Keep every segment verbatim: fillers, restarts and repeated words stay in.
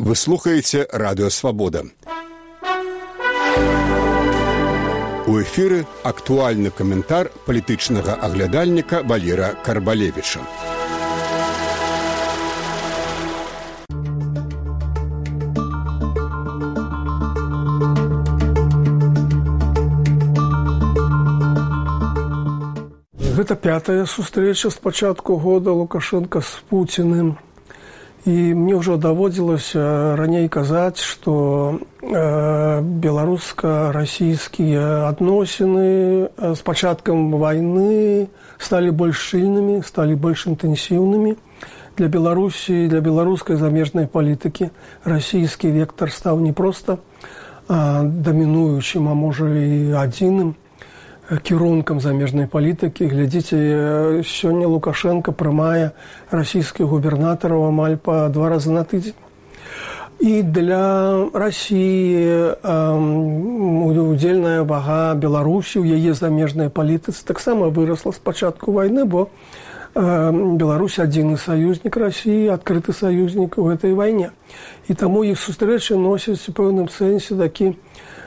Вы слухаеце Радыё Свабода. У эфіры актуальны каментар палітычнага аглядальніка Валера Карбалевіча. Гэта пятая сустрэча з пачатку года Лукашенка з Пуціным. І мне ўжо даводзілася раней казаць, што э, беларуска-расійскія адносіны з пачаткам вайны сталі больш шчыльнымі, сталі больш інтэнсіўнымі. Для Беларусі, для беларускай замежнай палітыкі расійскі вектар стаў не проста а, дамінуючым, а можа і адзіным кірункам замежнай палітыкі. Глядзіце, сёння Лукашенко прымае расійскіх губернатараў амаль па два разы на тыдзень. І для Расіі удзельная вага Беларусі ў яе замежнай палітыцы таксама вырасла з пачатку вайны, бо Беларусь адзіны саюзнік Расіі, адкрыты саюзнік у гэтай вайне. І таму іх сустрэчы носяць у пэўным сэнсе такі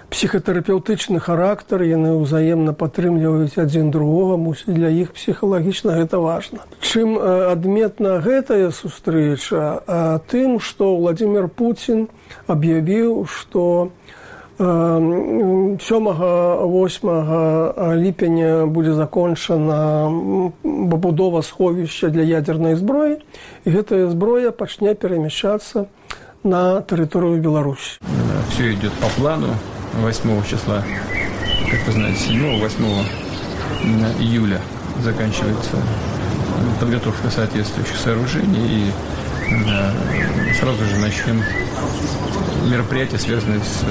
псіхатэрапеўтычны характар, яны ўзаемна падтрымліваюць адзін другога, мусіць для іх псіхалагічна гэта важна. Чым адметна гэтая сустрэча? Тым, што Владзімір Пуцін аб'явіў, што сёмага-восьмага ліпеня будзе закончана пабудова сховішча для ядзернай зброі, і гэтая зброя пачне перамяшчацца на тэрыторыю Беларусі. Все идет по плану. восьмого числа, как вы знаете, седьмого-восьмого июля заканчивается подготовка соответствующих сооружений, и да, сразу же начнем мероприятия, связанные с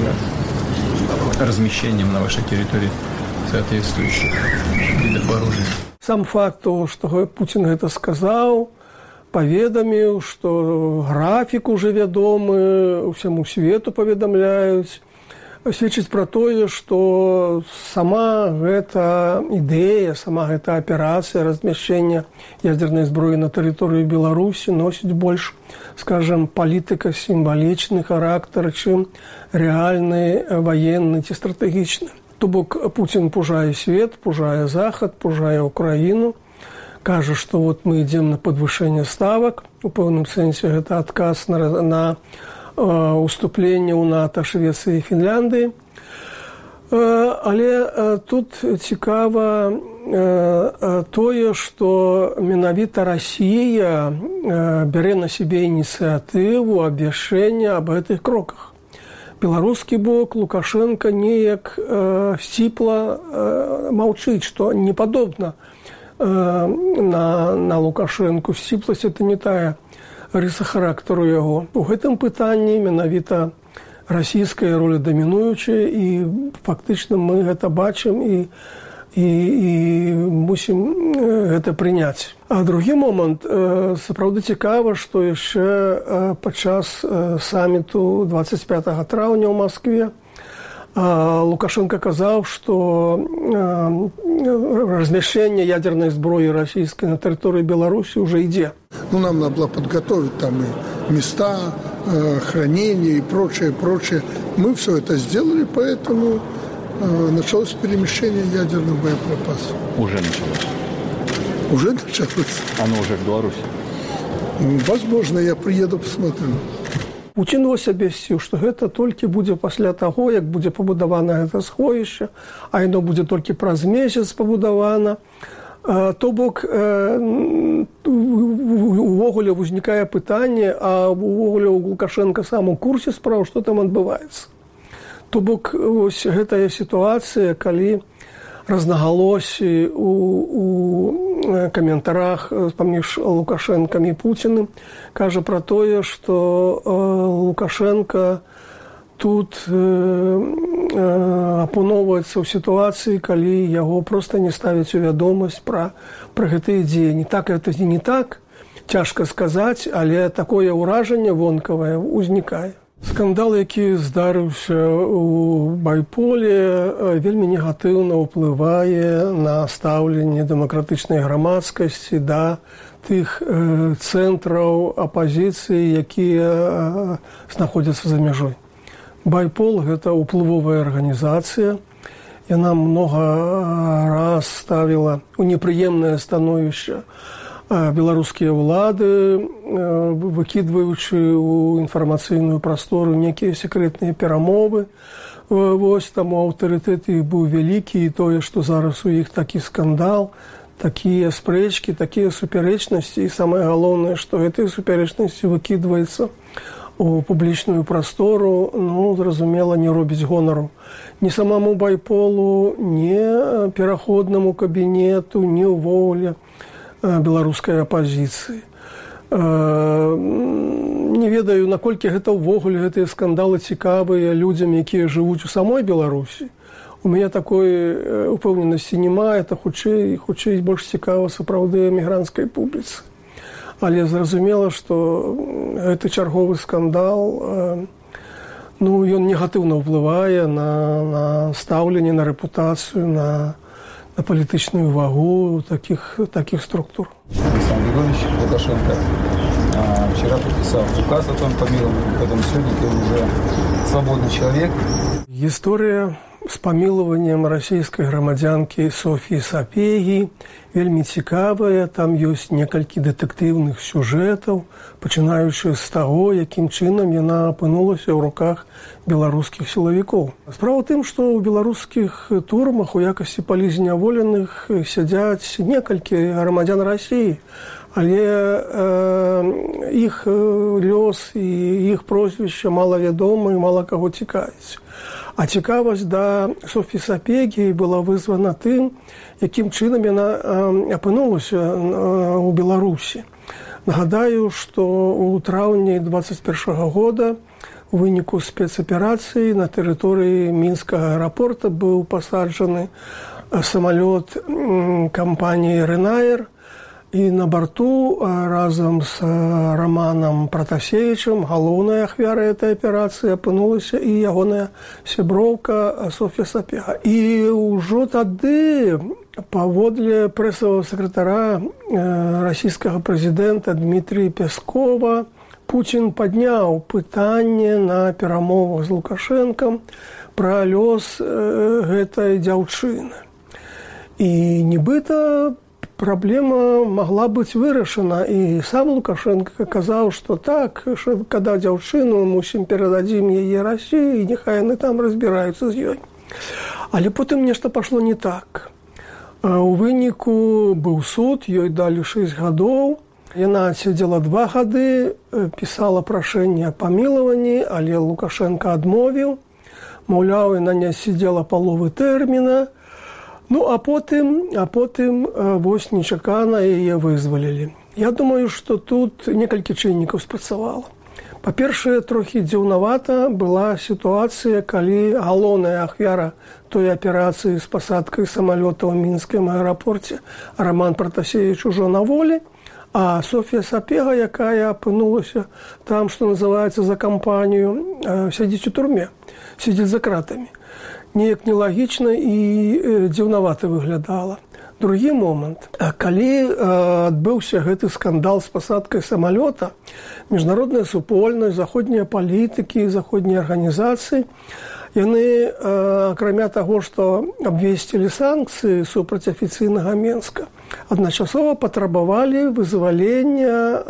размещением на вашей территории соответствующих видов оружия. Сам факт того, что Путин это сказал, поведомил, что график уже вядомы, всему свету поведомляют, сведчыць пра тое, што сама гэта ідэя, сама гэта аперацыя размяшчэння ядзернай зброі на тэрыторыі Беларусі носіць больш, скажам, палітыка-сімвалічны характар, чым рэальны ваенны ці стратэгічны. То бок Пуцін пужае свет, пужае захад, пужае Украіну, кажа, што вот мы ідзем на падвышэнне ставак, у пэўным сэнсе гэта адказ на, на уступленне ў НАТО Швецыі і Фінляндыі. Але тут цікава тое, што менавіта Расія бярэ на сябе ініцыятыву абвяшчэння аб гэтых кроках. Беларускі бок Лукашенко неяк сціпла маўчыць, што не падобна на, на Лукашенку. Сціпласць – это не тая рыса характару яго. У гэтым пытанні менавіта расійская роля дамінуючая, і фактычна мы гэта бачым і, і, і мусім гэта прыняць. А другі момант, сапраўды цікава, што яшчэ падчас саміту дваццаць пятага траўня ў Маскве Лукашенко казаў, што размяшчэнне ядерной зброі расійскай на тэрыторыі Беларусі уже ідзе. Ну, нам надо было подготовить там и места, э, хранения и прочее, прочее. Мы все это сделали, поэтому э, началось перемещение ядерных боеприпасов. Уже началось? Уже началось. Оно уже в Беларуси? Возможно, я приеду, посмотрю. Пуцін вось абвясціў, што гэта толькі будзе пасля таго, як будзе пабудавана гэта сховішча, а яно будзе толькі праз месяц пабудавана. То бок, увогуле ўзнікае пытанне, а увогуле у Лукашенка сам у курсе спраў, што там адбываецца. То бок, вось гэтая сітуацыя, калі рознагалосі у, у каментарах паміж Лукашэнкам і Пуціным кажа пра тое, што Лукашенко тут апыноўваецца ў сітуацыі, калі яго проста не ставяць у вядомасць пра, пра гэтыя дзеянні. Так, гэта не так, цяжка сказаць, але такое ўражанне вонкавае ўзнікае. Скандал, які здарыўся ў байполе, вельмі негатыўна ўплывае на стаўленне дэмакратычнай грамадскасці да тых цэнтраў апазіцыі, якія знаходзяцца за мяжой. Байпол – гэта ўплывовая арганізацыя. Яна многа раз ставіла ў непрыемнае становішча беларускія ўлады, выкідваючы ў інфармацыйную прастору некія секрэтныя перамовы. Вось таму аўтарытэт іх быў вялікі, і тое, што зараз у іх такі скандал, такія спрэчкі, такія супярэчнасці, і самае галоўнае, што гэтыя супярэчнасці выкідваецца у публічную прастору, ну, зразумела, не робіць гонару ні самому байполу, ні пераходнаму кабінету, ні ўвогуле беларускай апазіцыі. Не ведаю, наколькі гэта ўвогуле гэтыя скандалы цікавыя людзям, якія жывуць у самой Беларусі. У мяне такой упэўненасці няма, это хутчэй, хутчэй больш цікава сапраўды эмігранцкай публіцы. Але зразумела, што гэты чарговы скандал, ну, ён негатыўна ўплывае на, на стаўленне, на рэпутацыю, на на палітычную вагу таких, таких структур. Александр Григорьевич Лукашенко а, вчера подписал указ о том помиловании, поэтому сегодня ты уже свободный человек. История с помилованием российской громадянки Софьи Сапеги вельмі цікавая. Там ёсць некалькі дэтэктыўных сюжэтаў, пачынаючы з таго, якім чынам яна апынулася ў руках беларускіх сілавікоў. Справа ў тым, што ў беларускіх турмах у якасці палізняволеных сядзяць некалькі грамадзян Расіі, але э, іх лёс і іх прозвішча малавядомы і мала каго цікавіць. А цікавасць да Софьі Сапеги была вызвана тым, якім чынам яна апынулася ў Беларусі. Нагадаю, што ў траўні дваццаць першага года у выніку спецаперацыі на тэрыторыі мінскага аэрапорта быў пасаджаны самалёт кампаніі «Ryanair», і на борту разам з Романам Пратасевічам, галоўнай ахвярай этой аперацыі, апынулася і ягоная сяброўка Софья Сапега. І ўжо тады, паводле прэсавага сакратара расійскага прэзідэнта Дмітрія Пяскова, Пуцін падняў пытанне на перамовах з Лукашэнкам пра лёс гэтай дзяўчыны. І нібыта праблема могла быць вырашана, і сам Лукашенко казаў, што так, што када дзяўчыну, мусім перададзім яе Расіі, і няхай яны там разбіраюцца з ёй. Але потым нешта пашло не так. У выніку быў суд, ёй далі шэсць гадоў. Яна сядзела два гады, пісала прашэнне о памілаванні, але Лукашенко адмовіў. Маўляў, яна не сидзела паловы тэрміна. Ну, а потым, а потым вось нечакана яе вызвалілі. Я думаю, што тут некалькі чыннікаў спрацавала. Па-першае, трохі дзіўнавата была сітуацыя, калі галоўная ахвяра той аперацыі з пасадкай самалёта ў мінскім аэрапорце Роман Пратасевіч ужо на волі, а Софья Сапега, якая апынулася там, што называецца, за кампанію, сядзіць у турме, сядзіць за кратамі. Неяк нелагічна і дзіўнавата выглядала. Другі момант. Калі адбыўся гэты скандал з пасадкай самалёта, міжнародная супольнасць, заходнія палітыкі, заходнія арганізацыі, яны, акрамя таго, што абвесцілі санкцыі супраць афіцыйнага Менска, адначасова патрабавалі вызвалення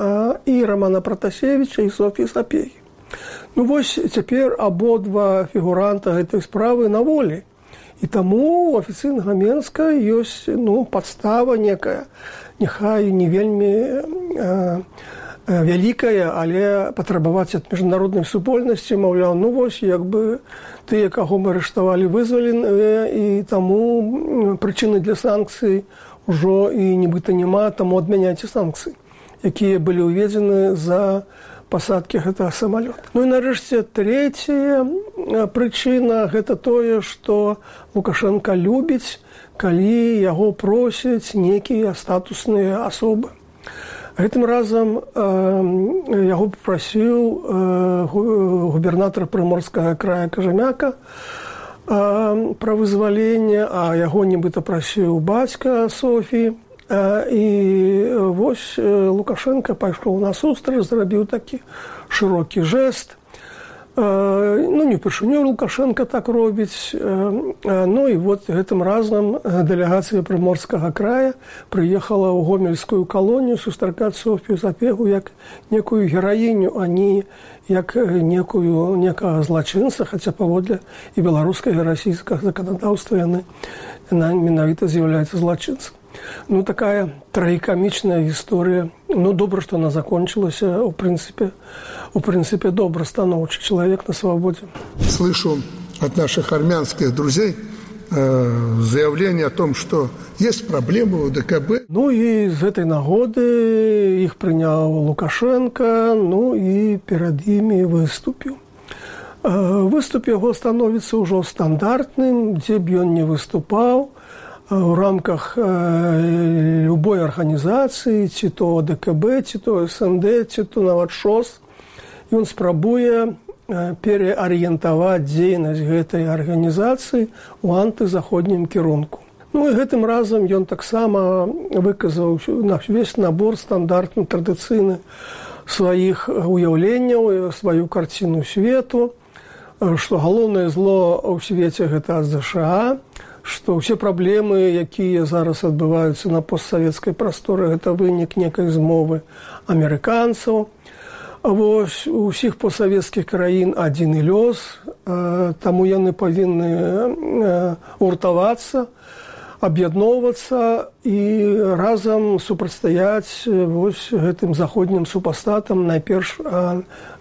і Романа Пратасевіча, і Софьі Сапеги. Ну вось цяпер абодва фігуранта гэтай справы на волі. І таму у афіцыйнага Менска ёсць, ну, падстава некая, няхай не вельмі э, э, вялікая, але патрабаваць ад міжнароднай супольнасці, маўляў, ну вось, як бы тыя, каго мы арыштавалі, вызваленыя, і таму прычыны для санкцый ужо і нібыта няма, таму адмяняйце санкцыі, якія былі ўведзены за пасадкі гэтага самалёта. Ну і нарэшце трэцяя прычына – гэта тое, што Лукашенко любіць, калі яго просяць некія статусныя асобы. Гэтым разам яго папрасіў губернатар Прыморскага края Кажамяка пра вызваленне, а яго нібыта прасіў бацька Софіі. І вось Лукашенко пайшоў насустрач, зрабіў такі шырокі жэст. Ну, не ўпершыню Лукашенко так робіць. Ну і вот гэтым разам дэлегацыя Прыморскага края прыехала ў гомельскую калонію сустракаць Софію Сапегу як некую гераіню, а не як некую некага злачынца, хаця паводле і беларускага, і расійскага заканадаўства яны менавіта з'яўляецца злачынцам. Ну, такая трагікамічная гісторыя. Ну, добра, што она закончилася. В принципе, в принципе, добра, становчий человек на свободе. Слышу от наших армянских друзей э, заявление о том, что есть проблемы у ДКБ. Ну, и с этой нагоды их принял Лукашенко, ну, и перед ими выступил. Э, выступ его становится уже стандартным, где бы он не выступал, в рамках э, любой организации, ці то ДКБ, ці то СНД, ці то нават ШОС. І он спрабуе э, переарыентаваць дзейнасць гэтай арганізацыі ў антызаходнім кірунку. Ну і гэтым разам ён таксама выказаў увесь набор стандартны, традыцыйны сваіх уяўленняў, сваю карціну свету, што галоўнае зло ў свеце гэта ад ЗША, што ўсе праблемы, якія зараз адбываюцца на постсавецкай прасторы, гэта вынік некай змовы амерыканцаў. Вось у ўсіх постсавецкіх краін адзін лёс, таму яны павінны гуртавацца, аб'ядноўвацца і разам супрацьстаяць вось гэтым заходнім супастатам, найперш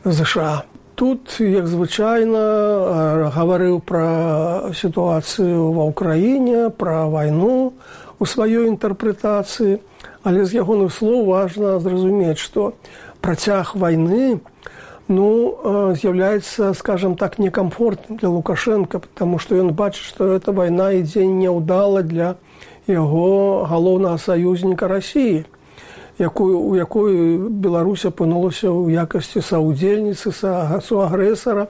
ЗША. Тут, як звычайна, гаварыў пра сітуацыю ва ўкраіне, пра вайну у сваёй інтэрпрэтацыі, але з ягоных слоў важна зразумець, што працяг вайны ну, з'яўляецца, скажем так, некамфортным для Лукашенка, потому што ён бачыць, што эта вайна ідзе няўдала для яго галоўнага саюзніка Расіі, якую, у якой Беларусь апынулася ў якасці саўдзельніцы, суагрэсара.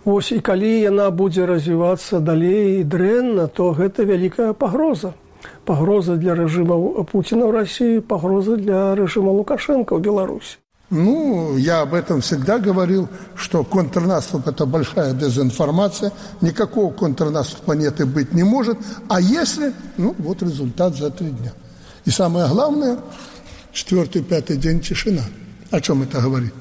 Вось, і калі яна будзе развівацца далей дрэнна, то гэта вялікая пагроза. Пагроза для рэжыма Пуціна ў Расіі, пагроза для рэжыма Лукашенко ў Беларусі. Ну, я об этом всегда говорил, что контрнаступ – это большая дезинформация, никакого контрнаступа нет и быть не может, а если, ну, вот результат за три дня. И самое главное – четвертый, пятый день тишина. О чем это говорит?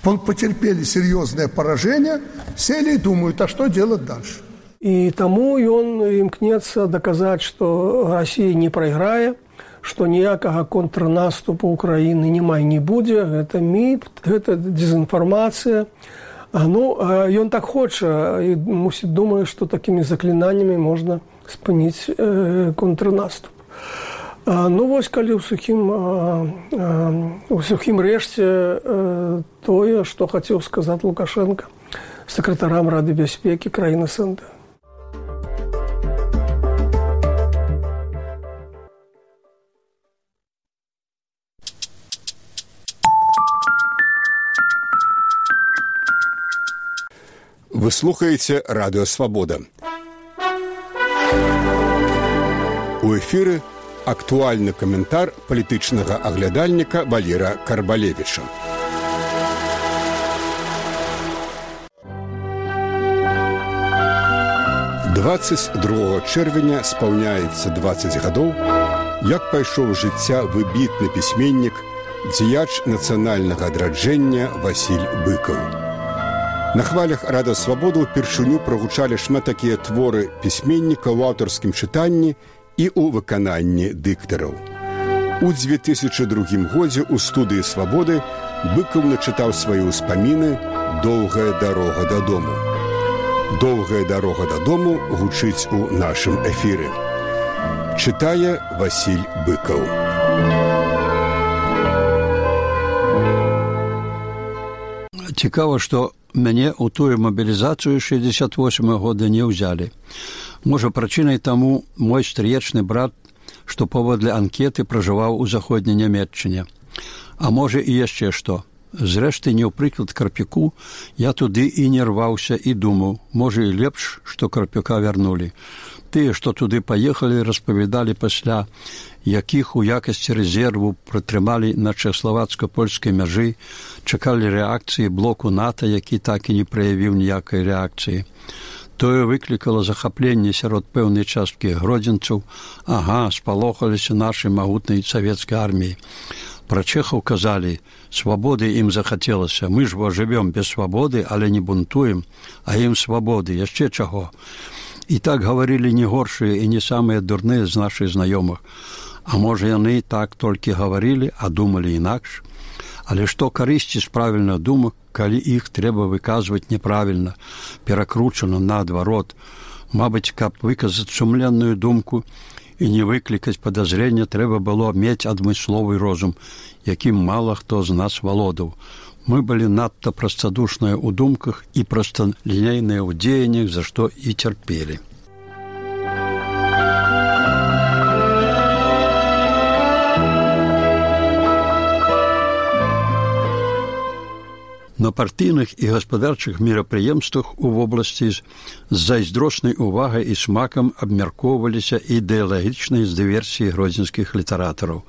Потерпели серьезное поражение, сели и думают, а что делать дальше? И тому он имкнется доказать, что Россия не проиграет, что ніякага контрнаступу Украины няма і не будзе. Это міф, это дезинформация. Ну, ён так хоча и мусит думать, что такими заклинаниями можно спыніць контрнаступ. Ну, вось, калі ў сухім, у сухім рэшце тое, што хацеў сказаць Лукашенко сакратарам Рады бяспекі краін СНД. Вы слухаеце Радыё Свабода. У эфіры актуальны каментар палітычнага аглядальніка Валера Карбалевіча. дваццаць другога чэрвеня спаўняецца дваццаць гадоў, як пайшоў жыцця выбітны пісьменнік, дзеяч нацыянальнага адраджэння Васіль Быкаў. На хвалях Радыё Свабода ўпершыню прагучалі шмат такія творы пісьменніка ў аўтарскім чытанні і ў выкананні дыктараў. У дзве тысячы другім годзе ў студыі Свабоды Быкаў начытаў свае ўспаміны «Доўгая дарога дадому». «Доўгая дарога дадому» гучыць у нашым эфіры. Чытае Васіль Быкаў. Цікава, што мяне ў тую мабілізацыю шэсцьдзесят восьмага года не ўзялі. Можа, прычынай таму мой стрыечны брат што паводле анкеты пражываў у заходняй Нямецчыне. А можа і яшчэ што. Зрэшты, не ў прыклад Карпюку, я туды і не рваўся і думаў, можа і лепш, што Карпюка вярнулі. Тыя, што туды паехалі, распавядалі пасля, якіх у якасці рэзерву прытрымалі на чэхаславацка-польскай мяжы, чакалі рэакцыі блоку НАТО, які так і не праявіў ніякай рэакцыі. Тое выклікала захапленне сярод пэўнай часткі гродзенцаў. Ага, спалохаліся нашай магутнай савецкай арміі. Пра чэхаў казалі, свабоды ім захацелася. Мы ж бо жывём без свабоды, але не бунтуем, а ім свабоды, яшчэ чаго. І так гаварылі не горшыя і не самыя дурныя з нашых знаёмых. А можа, яны так толькі гаварылі, а думалі інакш. Але што карысці з правільных думак, калі іх трэба выказваць неправільна, перакручана наадварот. Мабыць, каб выказаць сумленную думку і не выклікаць падазрення, трэба было мець адмысловы розум, якім мала хто з нас валодаў. Мы былі надта прастадушныя ў думках і прасталінейныя ў дзеяннях, за што і цярпелі. На партыйных і гаспадарчых мерапрыемствах у вобласці з зайздроснай увагай і смакам абмяркоўваліся ідэалагічныя дыверсіі гродзенскіх літаратараў.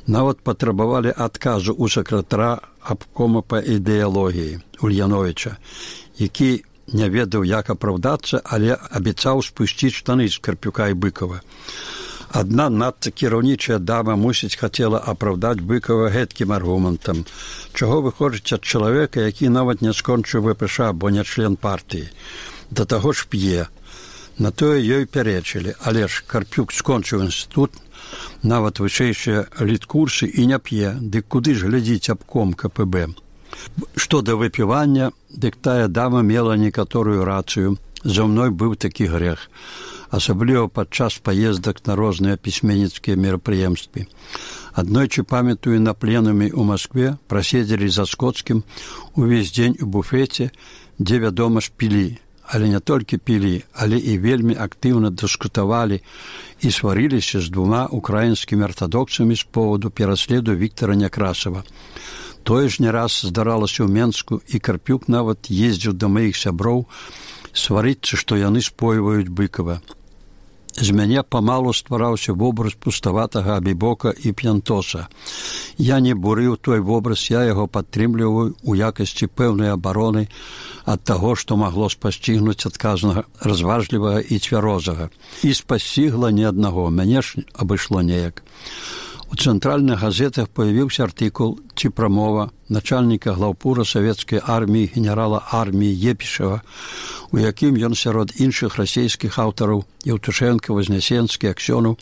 Нават патрабавалі адказу ў сакратара абкома па ідэалогіі Ульяновіча, які не ведаў, як апраўдацца, але абяцаў спусціць штаны з Карпюка і Быкова. Адна надта кіраўнічая дама, мусіць, хацела апраўдаць Быкова гэткім аргументам. Чаго выходзіць ад чалавека, які нават не скончыў ВПШ, бо не член партыі. Да таго ж п'е. На тое ёй пярэчылі, але ж Карпюк скончыў інстытут, нават вышэйшыя літкурсы і не п'е, дык куды ж глядзіць абком КПБ. Што да выпівання, дык тая дама мела некаторую рацыю. За мной быў такі грэх, асабліва падчас паездак на розныя пісьменніцкія мерапрыемствы. Аднойчы, памятаю, на пленуме ў Маскве праседзелі за Скоцкім увесь дзень у буфеце, дзе, вядома ж, пілі. Але не толькі пілі, але і вельмі актыўна дыскутавалі і сварыліся з двума украінскімі артадоксамі з поводу пераследу Віктара Някрасава. Тое ж не раз здаралася ў Менску, і Карпюк нават ездзіў да маіх сяброў сварыцца, што яны спойваюць Быкова. З мяне памалу ствараўся вобраз пуставатага абібока і п'янтоса. Я не бурыў той вобраз, я яго падтрымліваю ў якасці пэўнай абароны ад таго, што магло спасцігнуць адказнага, разважлівага і цвярозага. І спасцігла ні аднаго, мяне ж абышло неяк. У цэнтральных газетах появіўся артыкул ці прамова начальніка глаўпура савецкай арміі генерала арміі Епішева, у якім ён сярод іншых расійскіх аўтараў Еўтушэнка, Вознесенскі, Аксёнаў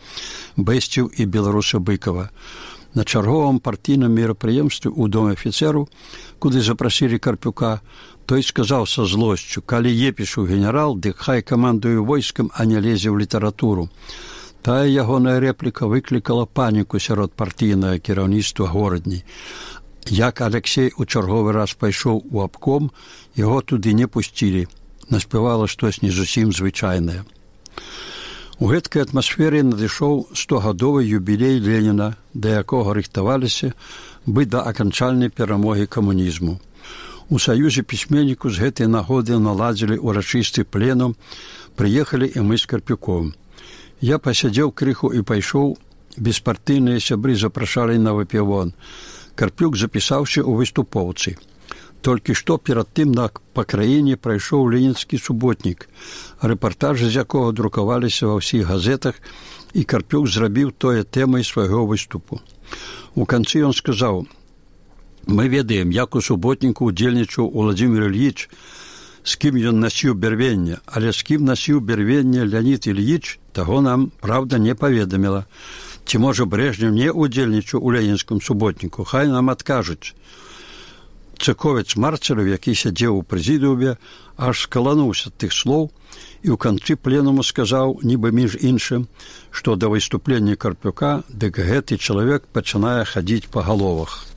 бэсціў і беларуса Быкова. На чарговым партійным мерапрыемстве ў доме афіцэру, куды запрасілі Карпюка, той сказаў са злосцю: калі Епішу генерал, дык хай камандуе войскам, а не лезе ў літаратуру. Тая ягоная рэпліка выклікала паніку сярод партыйнага кіраўніцтва горадні. Як Алексей у чарговы раз пайшоў у абком, яго туды не пусцілі. Наспявала штось не зусім звычайнае. У гэткай атмасферы надышоў стогадовы юбілей Леніна, да якога рыхтаваліся бы да аканчальнай перамогі камунізму. У Саюзе пісьменніку з гэтай нагоды наладзілі урачысты пленум, прыехалі і мы з Карпюком. Я пасядзеў крыху і пайшоў, беспартыйныя сябры запрашалі на выпівон. Карпюк запісаўся ў выступоўцы. Толькі што перад тым на па краіне прайшоў ленінскі суботнік, рэпартажы з якога друкаваліся ва ўсіх газетах, і Карпюк зрабіў тое тэмай свайго выступу. У канцы ён сказаў: мы ведаем, як у суботніку удзельнічаў Уладзімір Ільіч, з кім ён насіў бярвенне, але з кім насіў бярвенне Леонід Ільіч, таго нам, праўда, не паведаміла. Ці, можа, Брэжнев не удзельнічаў у ленінскім суботніку, хай нам адкажуць. Цыковец Марцелев, які сядзеў у прэзідыуме, аж скалануўся ад тых слоў і ў канцы пленуму сказаў, нібы між іншым, што да выступлення Карпюка, дык гэты чалавек пачынае хадзіць па галовах.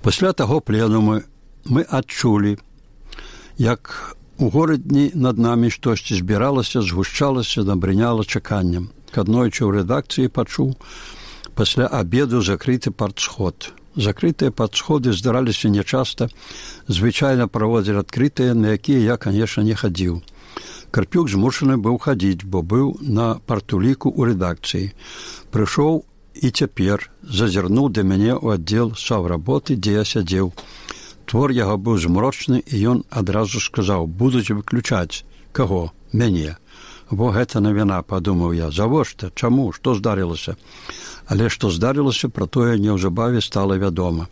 Пасля таго пленуму мы адчулі, як у горадні над намі штосьці збіралася, згушчалася, набрыняла чаканнем. аднойчы ў рэдакцыі пачуў пасля абеду закрыты партсход. Закрытыя партсходы здараліся нячаста, звычайна праводзілі адкрытыя, на якія я, канешне, не хадзіў. Карпюк змушаны быў хадзіць, бо быў на партуліку ў рэдакцыі. Прыйшоў і цяпер зазірнуў да мяне ў аддзел саўработы, дзе я сядзеў. Твор яго быў змрочны, і ён адразу сказаў: «Будуць выключаць». Каго? Мяне. Во гэта навіна, падумаў я. Завошта? Чаму? Што здарылася? Але што здарылася, пра тое неўзабаве стала вядома.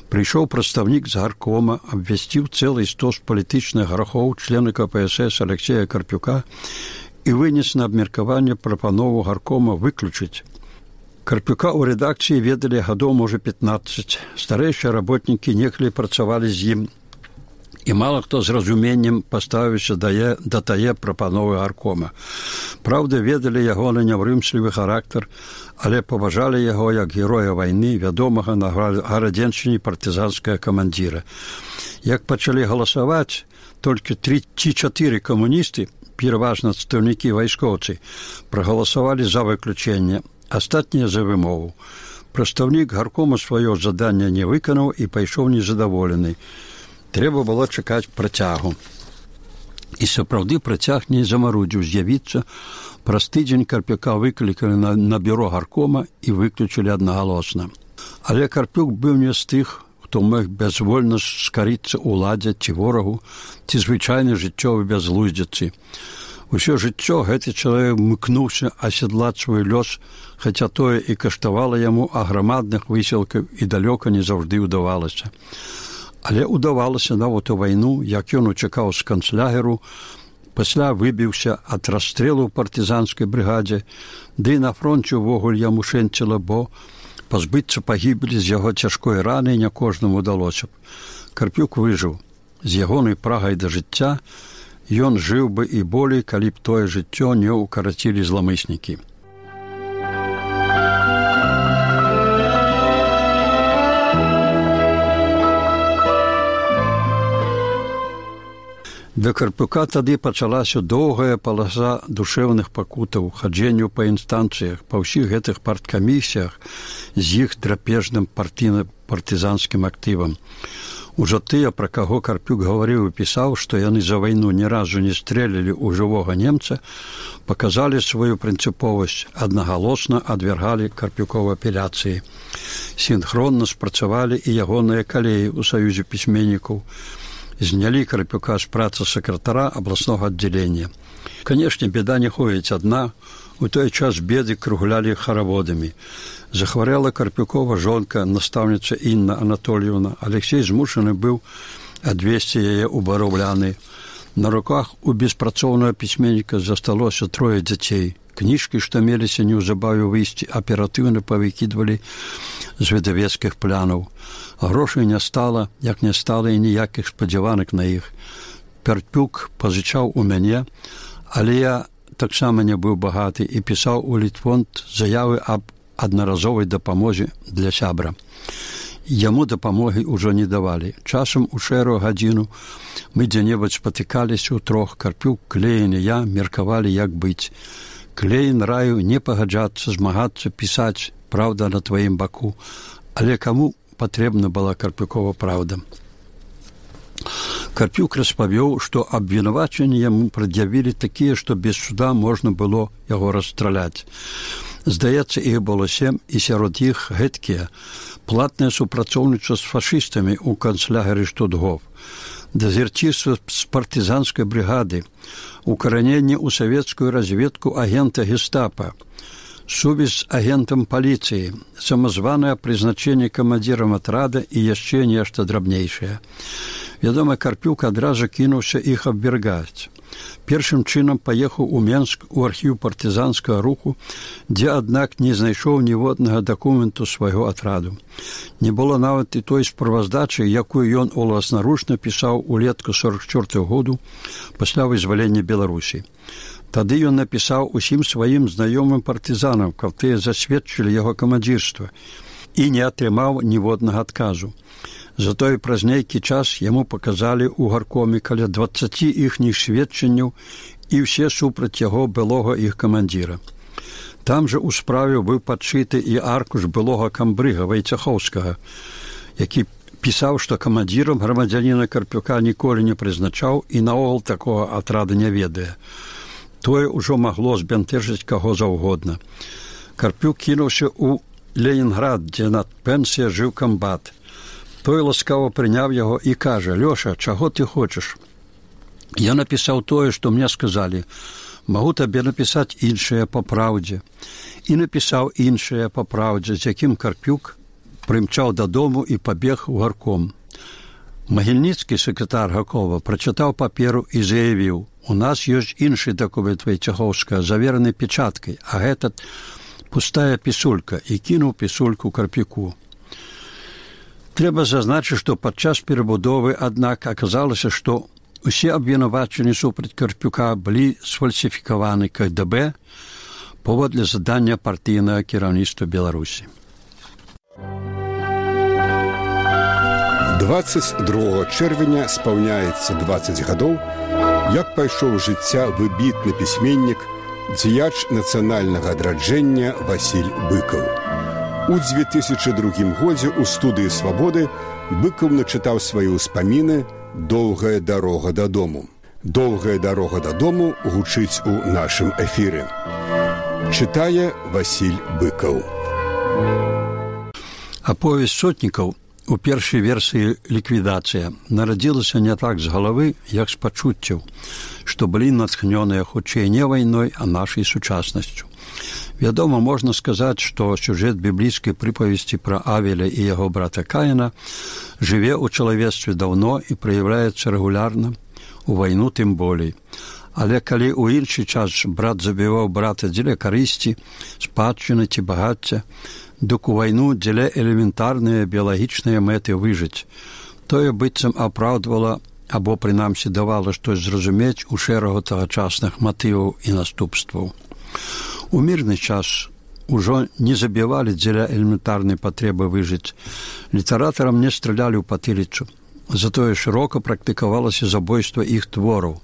Прыйшоў прадстаўнік з гаркома, абвясціў цэлы стос палітычных грахоў члена ка пэ эс эс Алексея Карпюка і вынес на абмеркаванне прапанову гаркома выключыць. Карпюка ў рэдакцыі ведалі гадоў, можа, пятнаццаць. Старэйшыя работнікі некалі працавалі з ім, і мала хто з разуменнем паставіўся да, да тае прапановы гаркома. Праўда, ведалі яго на няўрымслівы характар, але паважалі яго як героя вайны, вядомага на гарадзеншчыне партызанскага камандзіра. Як пачалі галасаваць, толькі тры ці чатыры камуністы, пераважна адстаўнікі вайскоўцы, прагаласавалі за выключэнне, астатнія за вымову. Прадстаўнік гаркома сваё заданне не выканаў і пайшоў незадаволены. Трэба было чакаць працягу. І сапраўды працяг не замарудзіў з'явіцца. Праз тыдзень Карпюка выклікалі на, на бюро гаркома і выключылі аднагалосна. Але Карпюк быў не з тых, хто мог бязвольна скарыцца ўладзе ці ворагу, ці звычайнай жыццёвай бязглуздзіцы. Усё жыццё гэты чалавек мыкнуўся асядлаць свой лёс, хаця тое і каштавала яму аграмадных высілкаў і далёка не заўжды ўдавалася. Але ўдавалася нават у вайну, як ён уцякаў з канцлягеру, пасля выбіўся ад расстрэлу ў партызанскай брыгадзе, ды на фронце ўвогуле яму шэнціла, бо пазбыцца пагібелі з яго цяжкой раны не кожнаму ўдалося б. Карпюк выжыў. З ягонай прагай да жыцця ён жыў бы і болей, калі б тое жыццё не ўкарацілі зламыснікі. Для Карпюка тады пачалася доўгая паласа душэўных пакутаў, хаджэнню па інстанцыях, па ўсіх гэтых парткамісіях з іх драпежным партызанскім актывам. Ужо тыя, пра каго Карпюк гаварыў і пісаў, што яны за вайну ні разу не стрэлілі ў жывога немца, паказалі сваю прынцыповасць, аднагалосна адвяргалі Карпюкова апеляцыі. Сінхронна спрацавалі і ягоныя калеі ў саюзе пісьменнікаў. Знялі Карпюка з працы сакратара абласнога аддзялення. Канешне, беда не ходзіць адна. У той час беды круглялі хараводамі. Захварэла Карпюкова жонка, настаўніца Інна Анатольевна. Алексей змушаны быў адвесці яе ў бароўляны. На руках у беспрацоўнага пісьменніка засталося трое дзяцей. Кніжкі, што меліся неўзабаве выйсці, аператыўна павыкідвалі з выдавецкіх плянаў. Грошай не стала, як не стала і ніякіх спадзяванак на іх. Карпюк пазычаў у мяне, але я таксама не быў багаты і пісаў у Літфонд заявы аб аднаразовай дапамозе для сябра. Яму дапамогі ўжо не давалі. Часам у шэрую гадзіну мы дзе-небудзь спатыкаліся ўтрох. Карпюк, Клейн і я меркавалі, як быць. Клейн раіў не пагаджацца, змагацца, пісаць, праўда на тваім баку. Але каму патрэбна была Карпюкова праўда? Карпюк распавёў, што абвінавачанні яму прад'явілі такія, што без суда можна было яго расстраляць. Здаецца, іх было сем, і сярод іх гэткія платнае супрацоўніцтва з фашыстамі ў канцлягеры Штутгоф, дезерцірства з партызанскай брыгады, укараненне ў савецкую разведку агента гестапа, сувязь з агентам паліцыі, самазванае прызначэнне камандзірам атрада і яшчэ нешта драбнейшае. Вядома, Карпюк адразу кінуўся іх абвяргаць. Першым чынам паехаў у Менск у архіў партызанскага руху, дзе, аднак, не знайшоў ніводнага дакументу свайго атраду. Не было нават і той справаздачы, якую ён уласнаручна пісаў улетку сорок чвёртага году пасля вызвалення Беларусі. Тады ён напісаў усім сваім знаёмым партызанам, каб тыя засведчылі яго камандзірства, і не атрымаў ніводнага адказу. Затое праз нейкі час яму паказалі ў гаркоме каля дваццаці іхніх сведчанняў і ўсе супраць яго былога іх камандзіра. Там жа ў справе быў падшыты і аркуш былога камбрыга Вайцяхоўскага, які пісаў, што камандзірам грамадзяніна Карпюка ніколі не прызначаў і наогул такога атрада не ведае. Тое ўжо магло збянтэжыць каго заўгодна. Карпюк кінуўся ў Ленінград, дзе на пенсія жыў камбат. Той ласкава прыняў яго і кажа: «Лёша, чаго ты хочаш? Я напісаў тое, што мне сказалі. Магу табе напісаць іншае па праўдзе». І напісаў іншае па праўдзе, з якім Карпюк прымчаў дадому і пабег у гарком. Магільніцкі, сакратар Гакова, прачытаў паперу і заявіў: «У нас ёсць іншы дакумент Вайцяхоўскага, завераны печаткай, а гэтат пустая пісулька», і кінуў пісульку Карпюку. Трэба зазначыць, што падчас перабудовы, аднак, аказалася, што усе абвінавачанні супраць Карпюка былі сфальсіфікаваны ка дэ бэ паводле задання партыйнага кіраўніцтва Беларусі. дваццаць другога чэрвеня спаўняецца дваццаць гадоў, як пайшоў з жыцця выбітны пісьменнік, дзеяч нацыянальнага адраджэння Васіль Быкаў. У дзве тысячы другім годзе ў студыі «Свабоды» Быкаў начытаў свае ўспаміны «Доўгая дарога дадому». «Доўгая дарога дадому» гучыць у нашым эфіры. Чытае Васіль Быкаў. Аповесць сотнікаў у першай версіі «Ліквідацыя» нарадзілася не так з галавы, як з пачуццяў, што былі натхнёныя хутчэй не вайной, а нашай сучаснасцю. Вядома, можна сказаць, што сюжэт біблійскай прыпавесці пра Авеля і яго брата Каіна жыве ў чалавецтве даўно і праяўляецца рэгулярна, у вайну тым болей. Але калі ў іншы час брат забіваў брата дзеля карысці, спадчыны ці багацця, дык у вайну дзеля элементарныя біялагічныя мэты выжыць. Тое быццам апраўдвала або, прынамсі, давала штось зразумець у шэрагу тагачасных матываў і наступстваў. У мірны час ужо не забівалі дзеля элементарнай патрэбы выжыць. Літаратарам не стралялі ў патыліцу. Затое шырока практыкавалася забойства іх твораў.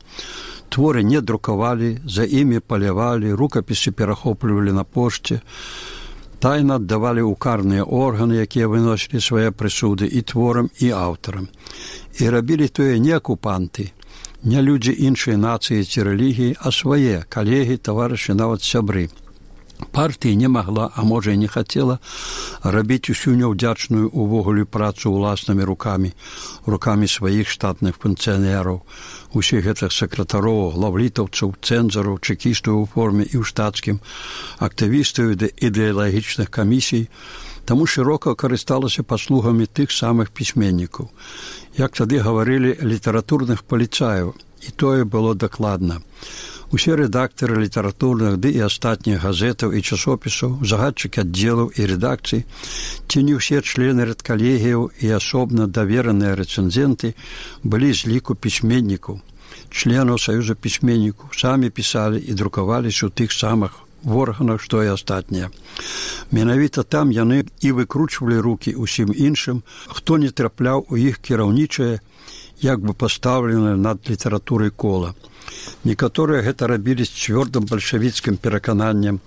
Творы не друкавалі, за імі палявалі, рукапісы перахоплівалі на пошце, тайна аддавалі ў карныя органы, якія выносілі свае прысуды і творам, і аўтарам. І рабілі тое не акупанты, не людзі іншай нацыі ці рэлігіі, а свае калегі, таварышы, нават сябры. Партыя не магла, а можа і не хацела, рабіць усю няўдзячную увогуле працу ўласнымі рукамі, рукамі сваіх штатных функцыянераў, усіх гэтых сакратароў, главлітаўцаў, цэнзараў, чэкістаў у форме і ў штатскім, актывістаў ідэалагічных камісій, таму шырока карысталася паслугамі тых самых пісьменнікаў. Як тады гаварылі, літаратурных паліцаяў, і тое было дакладна. Усе рэдактары літаратурных ды і астатніх газетаў і часопісаў, загадчыкі аддзелаў і рэдакцый, ці не ўсе члены рэдкалегіяў і асобна давераныя рэцэнзенты былі з ліку пісьменнікаў, членаў Саюза пісьменнікаў, самі пісалі і друкаваліся ў тых самых органах, што і астатнія. Менавіта там яны і выкручвалі рукі ўсім іншым, хто не трапляў у іх кіраўнічае, як бы пастаўленае над літаратурай кола. Некаторыя гэта рабілі з цвёрдым бальшавіцкім перакананнем,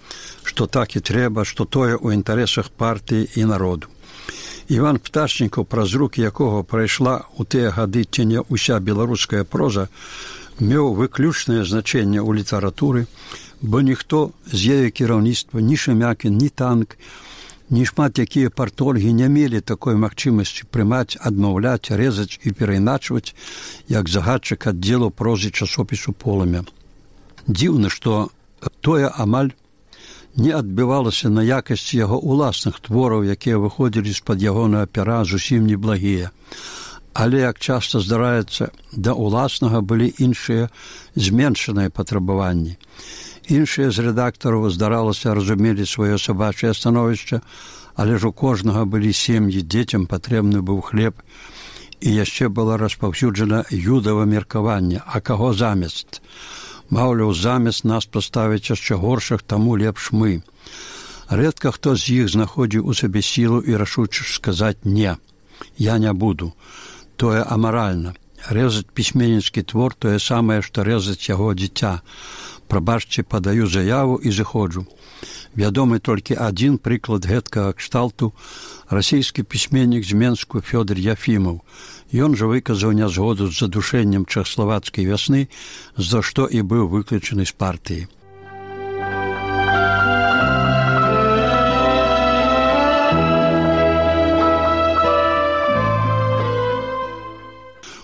што так і трэба, што тое ў інтарэсах партыі і народу. Іван Пташнікаў, праз рукі якога прайшла ў тыя гады ці не ўся беларуская проза, меў выключнае значэнне ў літаратуры, бо ніхто з яе кіраўніцтва, ні Шемякін, ні Танк, ні шмат якія партольгі не мелі такой магчымасці прымаць, адмаўляць, рэзаць і перайначваць, як загадчык аддзелу прозы часопісу «Полымя». Дзіўна, што тое амаль не адбівалася на якасці яго ўласных твораў, якія выходзілі з-пад ягонага пера зусім неблагія. Але, як часта здараецца, да ўласнага былі іншыя зменшаныя патрабаванні. Іншыя з рэдактараў, здаралася, разумелі сваё сабачае становішча, але ж у кожнага былі сем'і, дзецям патрэбны быў хлеб, і яшчэ была распаўсюджана юдава меркаванне, а каго замест? Маўляў, замест нас паставіць яшчэ горшых, таму лепш мы. Рэдка хто з іх знаходзіў у сабе сілу і рашуча сказаць «не, я не буду». Тое амаральна. Рэзаць пісьменніцкі твор тое самае, што рэзаць яго дзіця. Прабачце, падаю заяву і зыходжу. Вядомы толькі адзін прыклад гэткага кшталту – расійскі пісьменнік з Менску Фёдор Яфімаў. Ён жа выказаў нязгоду з задушэннем чэхаславацкай вясны, за што і быў выключаны з партыі.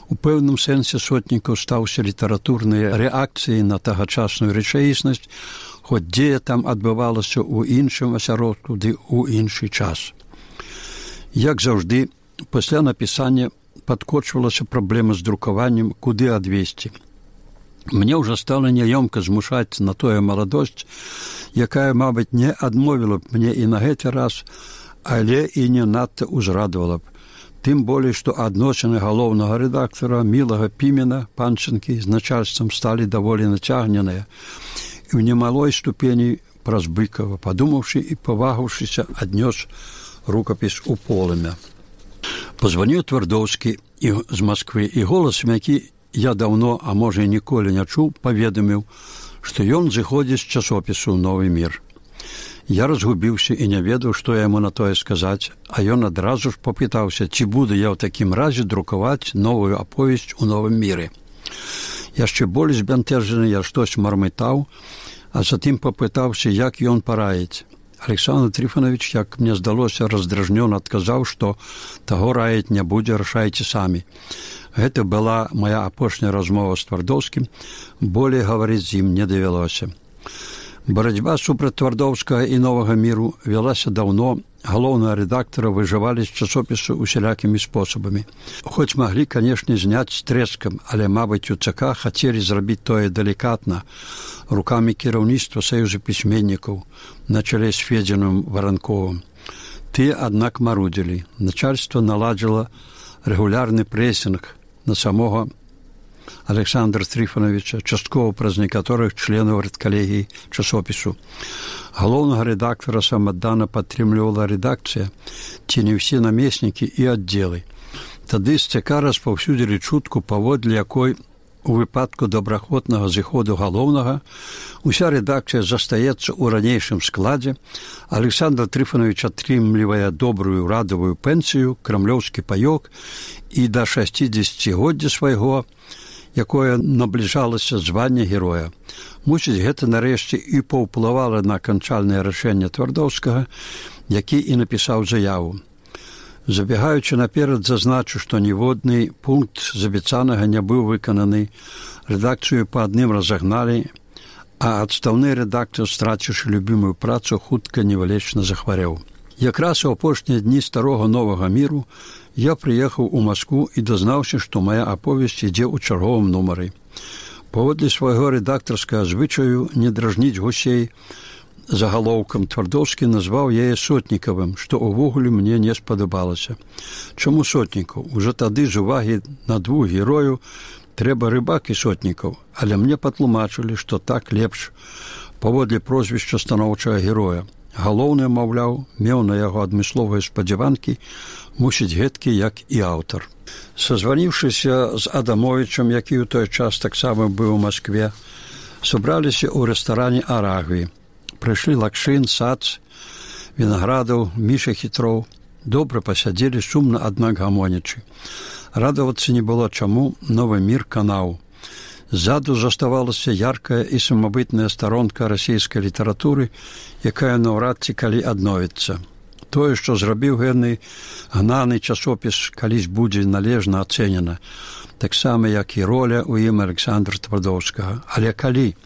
У пэўным сэнсе Сотнікаў стаўся літаратурнай рэакцыяй на тагачасную рэчаіснасць, хоць дзея там адбывалася ў іншым асяродку ды ў іншы час. Як заўжды, пасля напісання падкочвалася праблема з друкаваннем, куды адвесці. Мне ўжо стала няёмка змушаць на тое маладосць, якая, мабыць, не адмовіла б мне і на гэты раз, але і не надта ўзрадавала б. Тым болей, што адносіны галоўнага рэдактара Мілага Пімена Панчынкі з начальствам сталі даволі нацягненыя і ў немалой ступені праз Быкава, падумаўшы і павагаўшыся, аднёс рукапіс у полымя. Пазваніў Твардоўскі з Масквы, і голасам, які я даўно, а можа і ніколі не чуў, паведаміў, што ён зыходзіць з часопісу «Новы мір». Я разгубіўся і не ведаў, што яму на тое сказаць, а ён адразу ж папытаўся, ці буду я ў такім разе друкаваць новую аповесць у «Новым міры». Яшчэ болей збянтэжаны я штось мармытаў, а затым папытаўся, як ён параіць. Александр Трифонович, як мне здалося, раздражнёна адказаў, што таго раіць не будзе, рашайце самі. Гэта была моя апошняя размова з Твардоўскім, болей гаварыць з ім не давялося. Барацьба супраць Твардоўскага і «Новага міру» вялася даўно, галоўнага рэдактара выжывалі з часопісу усялякімі спосабамі. Хоць маглі, канешне, зняць з трэскам, але, мабыць, у ЦК хацелі зрабіць тое далікатна, рукамі кіраўніцтва Саюза пісьменнікаў на чале з Федзіным Варанковым. Тыя, аднак, марудзілі. Начальства наладзіла рэгулярны прэсінг на самога Александра Трифоновича, часткова праз некаторых членаў рэдкалегіі часопісу. Галоўнага рэдактара самаддана падтрымлівала рэдакцыя, ці не ўсе намеснікі і аддзелы. Тады з ЦК распаўсюдзілі чутку, паводле якой у выпадку добраахвотнага зыходу галоўнага уся рэдакцыя застаецца ў ранейшым складзе, Александр Трифонович атрымлівае добрую радавую пенсію, крамлёўскі паёк і да шасцідзесяцігоддзя свайго, якое набліжалася звання героя. Мусіць, гэта нарэшце і паўплывала на канчальнае рашэнне Твардоўскага, які і напісаў заяву. Забегаючы наперад, зазначу, што ніводны пункт з абяцанага не быў выкананы, рэдакцыю па адным разагналі, а адстаўны рэдактар, страціўшы любімую працу, хутка невылечна захварэў. Якраз у апошнія дні старога «Новага міру» я прыехаў у Маскву і дазнаўся, што мая аповесць ідзе ў чарговым нумары. Паводле свайго рэдактарскага звычаю не дражніць гусей загалоўкам, Твардоўскі назваў яе Сотнікавым, што ўвогуле мне не спадабалася. Чаму Сотнікаў? Ужо тады з увагі на двух герою трэба Рыбак і Сотнікаў, але мне патлумачылі, што так лепш паводле прозвішча станоўчага героя. Галоўны, маўляў, меў на яго адмысловыя спадзяванкі, мусіць гэткі, як і аўтар. Сазваніўшыся з Адамовічам, які ў той час таксама быў у Маскве, сабраліся ў рэстаране «Арагві». Прыйшлі Лакшын, Сац, Вінаградаў, Міша Хітроў. Добра пасядзелі, сумна, аднак гамонячы. Радавацца не было чаму, «Новы мір» канаў. Ззаду заставалася яркая і самабытная старонка расійскай літаратуры, якая наўрад ці калі адновіцца. Тое, што зрабіў гэны гнаны часопіс, калісь будзе належна ацэнена, таксама, як і роля ў ім Александра Твардоўскага. Але калі?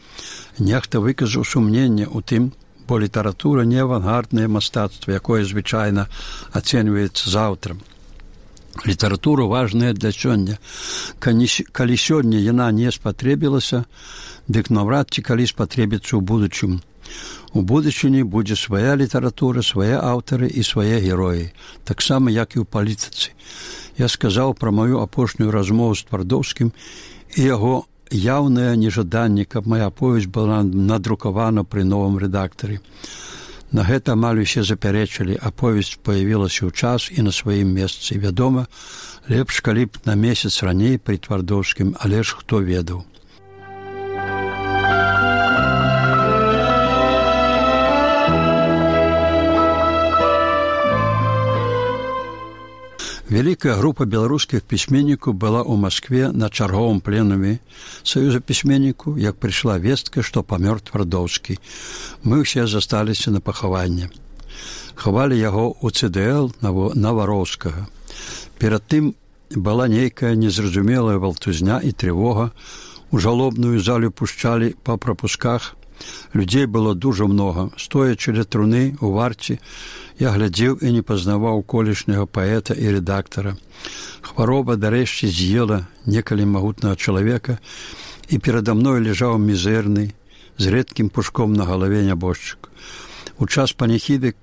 Нехта выказаў сумненне ў тым, бо літаратура не авангарднае мастацтва, якое звычайна ацэньваецца заўтра. Літаратура важная для сёння. Калі сёння яна не спатрэбілася, дык наўрад ці калі спатрэбіцца ў будучым. У будучыні будзе свая літаратура, свае аўтары і свае героі, таксама, як і ў палітыцы. Я сказаў пра маю апошнюю размову з Твардоўскім і яго яўнае нежаданне, каб моя аповесць была надрукавана пры новым рэдактары. На гэта амаль усе запярэчылі, аповесць паявілася ў час і на сваім месцы. Вядома, лепш, калі б на месяц раней пры Твардоўскім, але ж хто ведаў. Вялікая група беларускіх пісьменнікаў была ў Маскве на чарговым пленуме Саюза пісьменнікаў, як прыйшла вестка, што памёр Твардоўскі. Мы ўсе засталіся на пахаванне. Хавалі яго ў цэ дэ эл Навароўскага. Перад тым была нейкая незразумелая валтузня і трывога. У жалобную залю пушчалі па прапусках. Людзей было дужа многа. Стоячы ля труны у варце, я глядзеў і не пазнаваў колішняга паэта і рэдактара. Хвароба дарэшце з'ела некалі магутнага чалавека, і перада мной ляжаў мізэрны, з рэдкім пушком на галаве нябожчык. У час паніхіды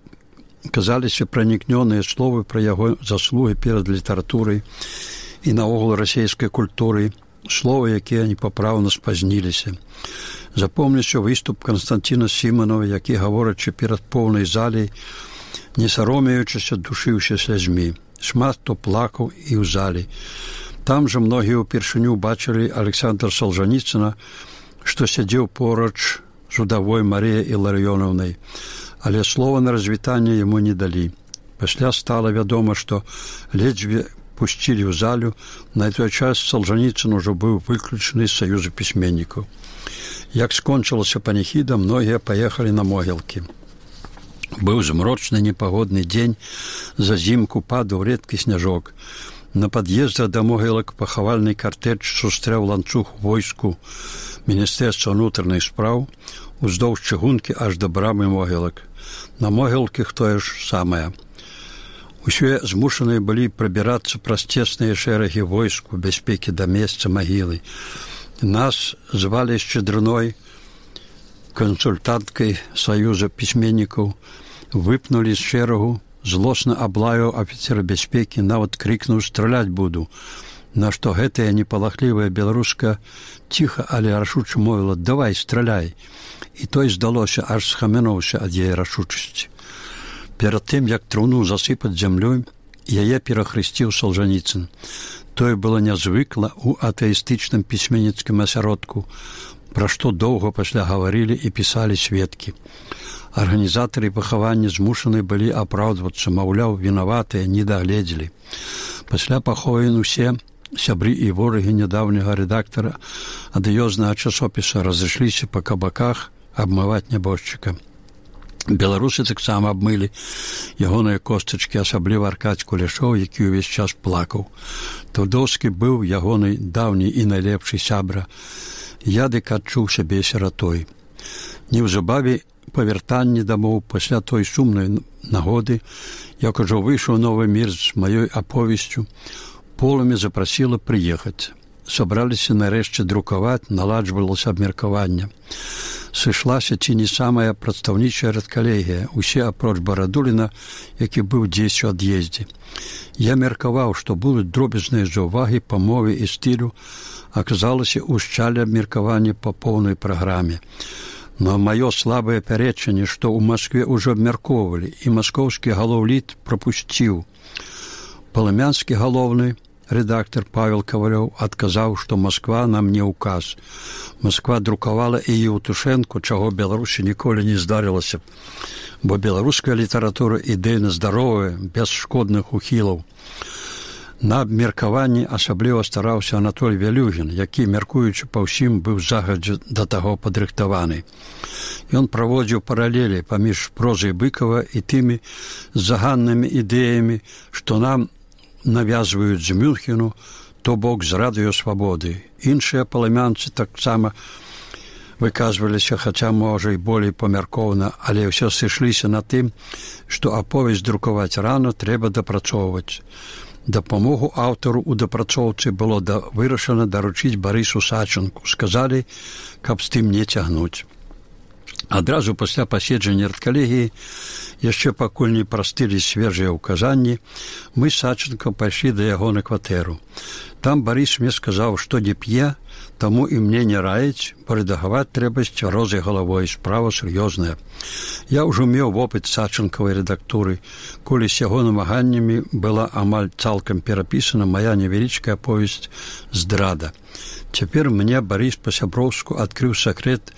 казаліся пранікнёныя словы пра яго заслугі перад літаратурай і наогул расейскай культурай, словы, якія непапраўна спазніліся. Запомніўся выступ Канстанціна Сіманова, які, гаворачы перад поўнай залей, не саромеючыся, душыўся слязьмі. Шмат хто плакаў і ў залі. Там жа многія ўпершыню бачылі Александра Солжаніцына, што сядзеў поруч з удавой Марыяй Іларыёнаўнай, але слова на развітанне яму не далі. Пасля стала вядома, што ледзьве пусцілі ў залю. На той час Солжаніцын ужо быў выключаны з Саюза пісьменнікаў. Як скончылася паніхіда, многія паехалі на могілкі. Быў змрочны непагодны дзень, зазімку падаў рэдкі сняжок. На пад'ездах да могілак пахавальны картэж сустрэў ланцуг войску Міністэрства ўнутраных спраў уздоўж чыгункі аж да брамы могілак. На могілках тое ж самае. Усе змушаныя былі прабірацца праз цесныя шэрагі войску бяспекі да месца магілы. Нас звалі Шчедрыной, кансультанткай Саюза пісьменнікаў, выпнулі з шэрагу, злосна аблаяў афіцера бяспекі, нават крыкнуў «Страляць буду», на што гэтая непалахлівая беларуска ціха, але рашуча мовіла «Давай, страляй». І той, здалося, аж схамянуўся ад яе рашучасці. Перад тым, як труну засыпаць зямлёй, яе перахрысціў Солжаніцын. Тое было нязвыкла ў атэістычным пісьменніцкім асяродку, пра што доўга пасля гаварылі і пісалі сведкі. Арганізатары пахавання змушаны былі апраўдвацца, маўляў, вінаватыя, не дагледзелі. Пасля паховін усе сябры і ворагі нядаўняга рэдактара адыёзнага часопіса разышліся па кабаках абмываць нябожчыка. Беларусы таксама абмылі ягоныя костачкі, асабліва Аркадзь Кулешоў, які ўвесь час плакаў. Твардоўскі быў ягоны даўні і найлепшы сябра. Я дык адчуў сябе сіратой. Неўзабаве па вяртанні дамоў пасля той сумнай нагоды, як ужо выйшаў новы мір з маёй аповесцю, полымя запрасіла прыехаць. Сабраліся нарэшце друкаваць, наладжвалася абмеркаванне. Сышлася ці не самая прадстаўнічая рэдкалегія, усе апроч Барадуліна, які быў дзесь у ад'ездзе. Я меркаваў, што будуць дробязныя заўвагі па мове і стылю, аказалася, ушчалі абмеркаванне па поўнай праграме. Но маё слабае пярэчанне, што ў Маскве ўжо абмяркоўвалі, і маскоўскі галоўліт прапусціў. Палымянскі галоўны рэдактар Павел Кавалёў адказаў, што Масква нам не ўказ. Масква друкавала і Еўтушэнку, чаго Беларусі ніколі не здарылася, бо беларуская літаратура ідэйна здаровая, без шкодных ухілаў. На абмеркаванні асабліва стараўся Анатоль Вялюгін, які, мяркуючы па ўсім, быў загадзя да таго падрыхтаваны. Ён праводзіў паралелі паміж прозай Быкава і тымі заганнымі ідэямі, што нам навязваюць з Мюнхену, то бок з радыёсвабоды. Іншыя палымянцы таксама выказваліся, хаця, можа, і болей памяркоўна, але ўсё сышліся на тым, што аповесць друкаваць рано трэба дапрацоўваць. Дапамогу аўтару ў дапрацоўцы было да, вырашана даручыць Барысу Сачынку. Сказалі, каб з тым не цягнуць. Адразу пасля паседжання рэдкалегіі, яшчэ пакуль не прастылі свежыя ўказанні, мы з Сачынкам пайшлі да яго на кватэру. Там Барыс мне сказаў, што не п'е, таму і мне не раіць, бо рэдагаваць трэба з цвярозай галавой, справа сур'ёзная. Я ўжо меў вопыт Сачынкавай рэдактуры, коли з яго намаганнямі была амаль цалкам перапісана мая невялічкая аповесць «Здрада». Цяпер мне Барыс па-сяброўску адкрыў сакрэт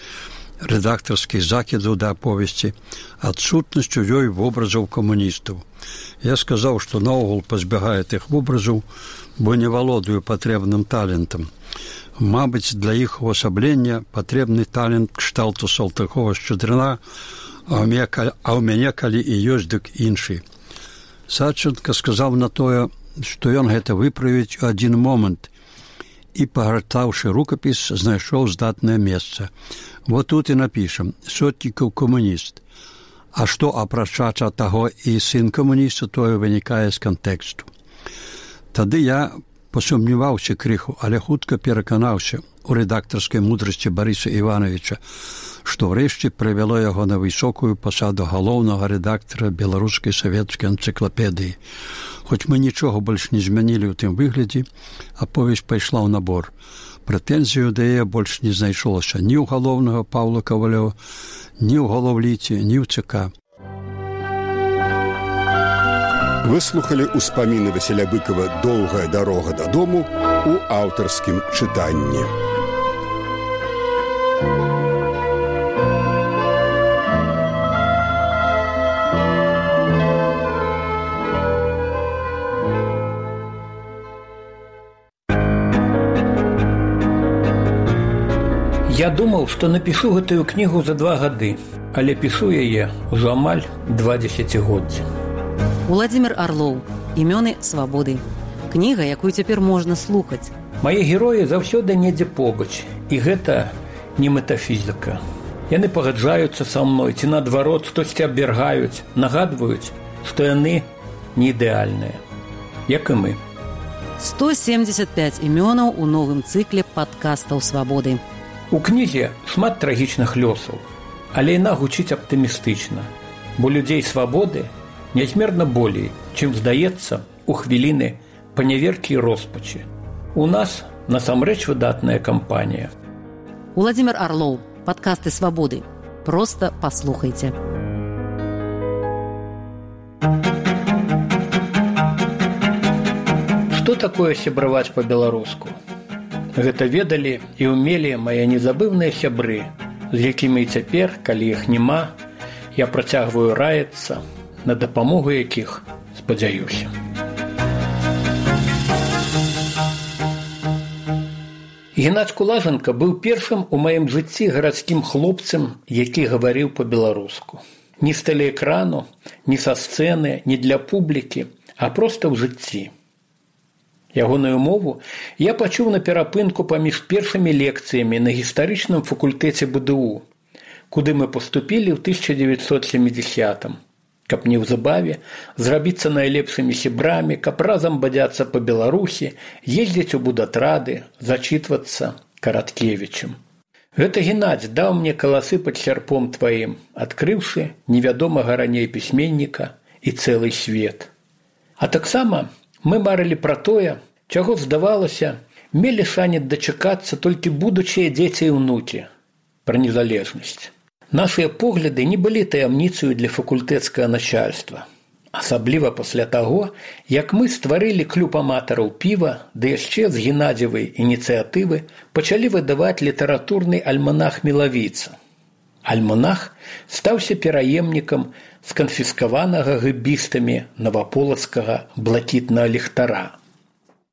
рэдактарскіх закідаў да аповесці, адсутнасцю ёй вобразаў камуністаў. Я сказаў, што наогул пазбягае тых вобразаў, бо не валодаю патрэбным талентам. Мабыць, для іх увасаблення патрэбны талент кшталту Салтыкова-Шчадрына, а ў мяне калі і ёсць, дык іншы. Садченка сказаў на тое, што ён гэта выправіць у адзін момант і, пагартаўшы рукапіс, знайшоў здатнае месца. Вот тут і напішам: Сотнікаў камуніст. А што, апрача таго і сын камуніста, тое вынікае з кантэксту. Тады я пасумняваўся крыху, але хутка пераканаўся у рэдактарскай мудрасці Барыса Івановича, што ўрэшце прывяло яго на высокую пасаду галоўнага рэдактара беларускай савецкай энцыклапедыі. Хоць мы нічога больш не змянілі ў тым выглядзе, аповесць пайшла ў набор. Прэтэнзію да яе больш не знайшлося ні ў галоўнага Паўла Кавалёва, ні ў галоўліце, ні ў ЦК. Выслухалі ўспаміны Васіля Быкова «Доўгая дарога дадому» у аўтарскім чытанні. Я думаў, што напішу гэтую кнігу за два гады, але пішу яе ўжо амаль два дзесяцігоддзі. Уладзімір Арлоў. Імёны свабоды. Кніга, якую цяпер можна слухаць. Мае героі заўсёды недзе побач, і гэта не метафізіка. Яны пагаджаюцца са мной, ці наадварот штосьці абвяргаюць, нагадваюць, што яны не ідэальныя, як і мы. сто семьдесят пять імёнаў у новым цыкле падкастаў свабоды. У кнізе шмат трагічных лёсаў, але яна гучыць аптымістычна, бо людзей свабоды нязмерна болей, чым здаецца у хвіліны паняверкі і роспачы. У нас насамрэч выдатная кампанія. Уладзімір Арлоў. Падкасты свабоды. Проста паслухайце. Што такое сябраваць па-беларуску? Гэта ведалі і ўмелі мае незабыўныя сябры, з якімі і цяпер, калі іх няма, я працягваю раіцца, на дапамогу якіх спадзяюся. Геннадзь Кулаженка быў першым у маім жыцці гарадскім хлопцам, які гаварыў па-беларуску. Ні з тэлеэкрану, ні са сцэны, ні для публікі, а проста ў жыцці. Ягоную мову я пачуў на перапынку паміж першымі лекцыямі на гістарычным факультэце бэ дэ у, куды мы паступілі ў тысяча дзевяцьсот сямідзесятым, каб неўзабаве зрабіцца найлепшымі сябрамі, каб разам бадзяцца па Беларусі, ездзіць у будатрады, зачытвацца Караткевічам. Гэта Геннадзь даў мне каласы пад сярпом тваім, адкрыўшы невядомага раней пісьменніка і цэлы свет. А таксама мы марылі пра тое, чаго, здавалася, мелі шанец дачакацца толькі будучыя дзеці і ўнукі, пра незалежнасць. Нашыя погляды не былі таямніцаю для факультэцкага начальства. Асабліва пасля таго, як мы стварылі клуб аматараў піва, ды яшчэ з Геннадзевай ініцыятывы пачалі выдаваць літаратурны альманах «Мілавіца». Альманах стаўся пераемнікам сканфіскаванага гэбістамі наваполацкага блакітнага ліхтара.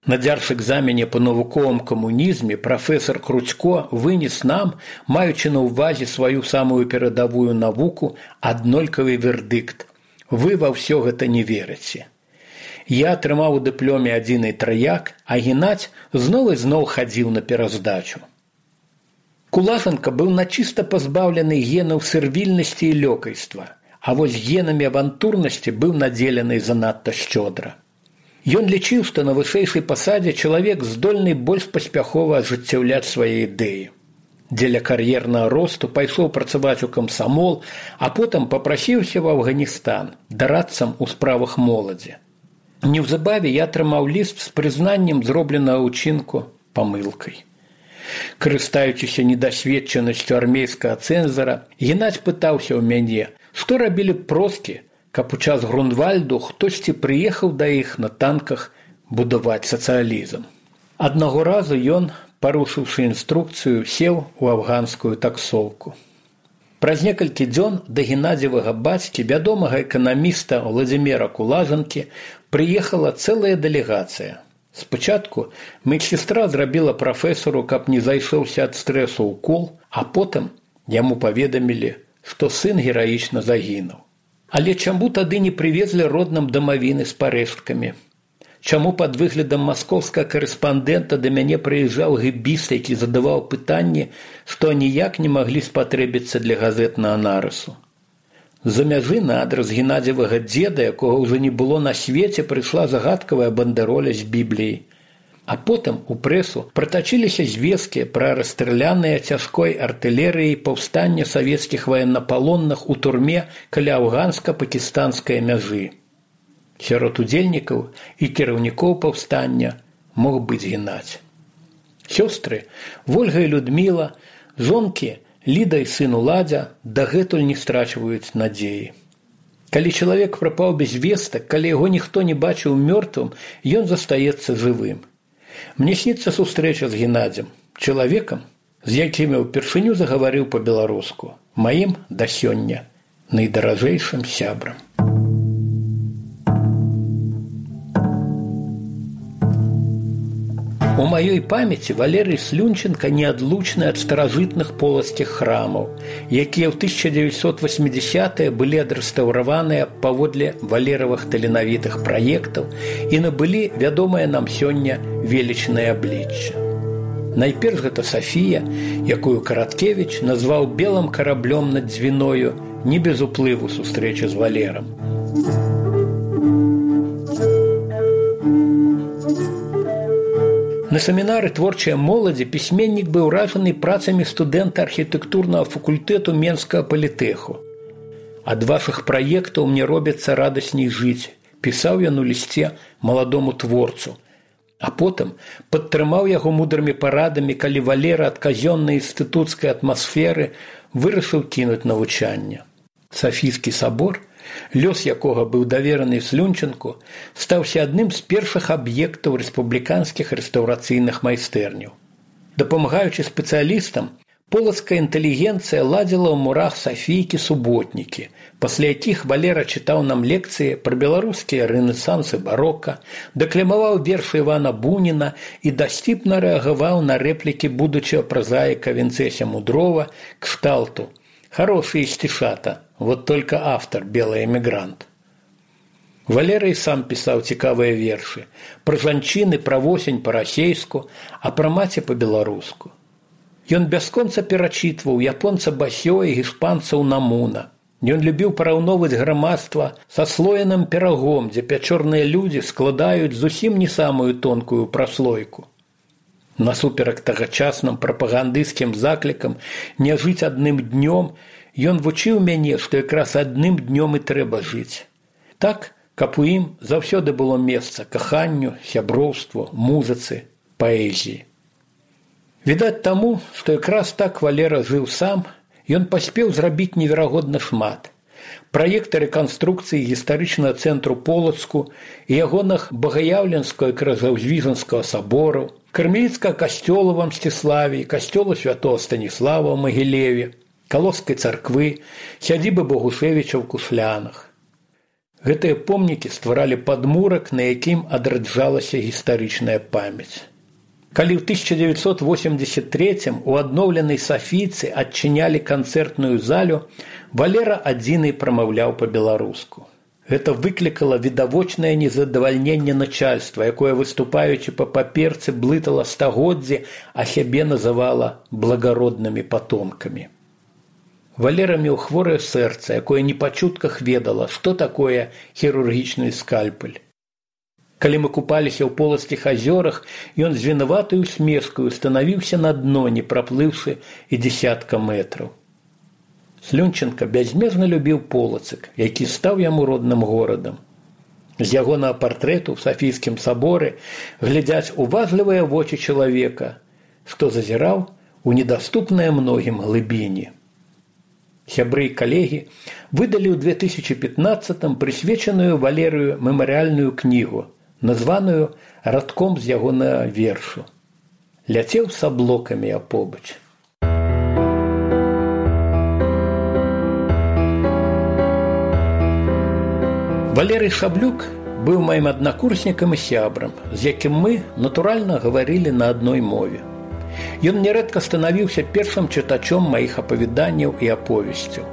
На дзяржэкзамене па навуковым камунізме прафесор Кручко вынес нам, маючы на ўвазе сваю самую перадавую навуку, аднолькавы вердыкт: вы ва ўсё гэта не верыце. Я атрымаў у дыпломе адзіны траяк, а Геннадзь зноў і зноў хадзіў на пераздачу. Кулаженка быў начыста пазбаўлены генаў сервільнасці і лёкайства, а вось генамі авантурнасці быў надзелены занадта шчодра. Ён лічыў, што на вышэйшай пасадзе чалавек здольны больш паспяхова ажыццяўляць свае ідэі. Дзеля кар'ернага росту пайшоў працаваць у камсамол, а потым папрасіўся в Афганістан дарадцам у справах моладзі. Неўзабаве я атрымаў ліст з прызнаннем зробленага ўчынку памылкай. Карыстаючыся недасведчанасцю армейскага цэнзара, Геннадзь пытаўся ў мяне, што рабілі б проскі, каб у час Грунвальду хтосьці прыехаў да іх на танках будаваць сацыялізм. Аднаго разу ён, парушыўшы інструкцыю, сеў у афганскую таксоўку. Праз некалькі дзён да геннадзевага бацькі, вядомага эканаміста Владзіміра Кулажанкі, прыехала цэлая дэлегацыя. Спачатку медсестра зрабіла прафесару, каб не зайшоўся ад стрэсу укол, а потым яму паведамілі, што сын гераічна загінуў. Але чаму тады не прывезлі родным дамавіны з парэшткамі? Чаму пад выглядам маскоўскага карэспандэнта да мяне прыязджаў гэбіст, які задаваў пытанні, што ніяк не маглі спатрэбіцца для газетнага нарысу? З-за мяжы на адрас геннадзевага дзеда, якога ўжо не было на свеце, прыйшла загадкавая бандероля з Бібліяй. А потым у прэсу пратачыліся звесткі пра расстраляныя цяжкой артылерыяй паўстання савецкіх ваеннапалонных у турме каля афганска-пакістанскай мяжы. Сярод удзельнікаў і кіраўнікоў паўстання мог быць Геннадзь. Сёстры Вольга і Людміла, жонкі Ліда і сын Уладзя дагэтуль не страчваюць надзеі. Калі чалавек прапаў без вестак, калі яго ніхто не бачыў мёртвым, ён застаецца жывым. Мне сніцца сустрэча з Геннадзем, чалавекам, з якім я ўпершыню загаварыў па-беларуску, маім да сёння найдаражэйшым сябрам. У маёй памяці Валерый Слюнченко неадлучны ад старажытных полацкіх храмаў, якія ў тысяча дзевяцьсот васьмідзясятыя былі адрэстаўраваныя паводле валеравых таленавітых праектаў і набылі вядомае нам сёння велічнае аблічча. Найперш гэта Сафія, якую Караткевіч назваў белым караблём над дзвіною, не без уплыву сустрэчы з Валерам. На семінары творчай моладзі пісьменнік быў уражаны працамі студэнта архітэктурнага факультэту Менскага палітэху. «Ад вашых праектаў мне робіцца радасней жыць», пісаў ён у лісце маладому творцу. А потым падтрымаў яго мудрымі парадамі, калі Валера ад казённай інстытуцкай атмасферы вырашыў кінуць навучанне. Сафійскі сабор, лёс якога быў давераны Слюнченку, стаўся адным з першых аб'ектаў рэспубліканскіх рэстаўрацыйных майстэрняў. Дапамагаючы спецыялістам, полацкая інтэлігенцыя ладзіла ў мурах Сафійкі суботнікі, пасля якіх Валера чытаў нам лекцыі пра беларускія рэнесанс і барока, дэкламаваў вершы Івана Буніна і дасціпна рэагаваў на рэплікі будучага празаіка Вінцэся Мудрова кшталту: «Хорошие стишата, вот только автор – белый эмигрант». Валера і сам пісаў цікавыя вершы пра жанчыны, пра восень па-расейску, а пра маці па-беларуску. Ён бясконца перачытваў японца Басё і іспанца Унамуна. Ён любіў параўноўваць грамадства са слоеным пірагом, дзе пячорныя людзі складаюць зусім не самую тонкую праслойку. Насуперак тагачасным прапагандысцкім заклікам не жыць адным днём, ён вучыў мяне, што якраз адным днём і трэба жыць. Так, каб у ім заўсёды было месца каханню, сяброўству, музыцы, паэзіі. Відаць таму, што якраз так Валера жыў сам, ён паспеў зрабіць неверагодна шмат. Праекты рэканструкцыі гістарычнага цэнтру Полацку і ягоных Багаяўленскага і Крыжаўзвіжанскага сабораў, Кармеліцкага касцёла ў Мсціславі, касцёла святого Станіслава ў Магілеве, Калоскай царквы, сядзібы Богушевіча ў Кушлянах. Гэтыя помнікі стваралі падмурак, на якім адраджалася гістарычная памяць. Калі ў тысяча дзевяцьсот восемьдесят третьем у адноўленай Сафійцы адчынялі канцэртную залю, Валера адзіны прамаўляў па-беларуску. Гэта выклікала відавочнае незадавальненне начальства, якое, выступаючы па паперцы, блытала стагоддзі, а сябе называла благароднымі патомкамі. Валера меў хворае сэрца, якое не па чутках ведала, што такое хірургічны скальпель. Калі мы купаліся ў полацкіх азёрах, ён з вінаватай усмешкаю станавіўся на дно, не праплыўшы і дзесятка метраў. Слюнченка бязмерна любіў Полацак, які стаў яму родным горадам. З ягонага партрэту ў Сафійскім саборы глядзяць уважлівыя вочы чалавека, што зазіраў у недаступныя многім глыбіні. Сябры і калегі выдалі ў две тысячи пятнадцатым прысвечаную Валерыю мемарыяльную кнігу, названую радком з ягонага вершу. Ляцеў са блокамі апобач. Валерый Шаблюк быў маім аднакурснікам і сябрам, з якім мы, натуральна, гаварылі на адной мове. Ён нярэдка станавіўся першым чытачом маіх апавяданняў і аповесцяў.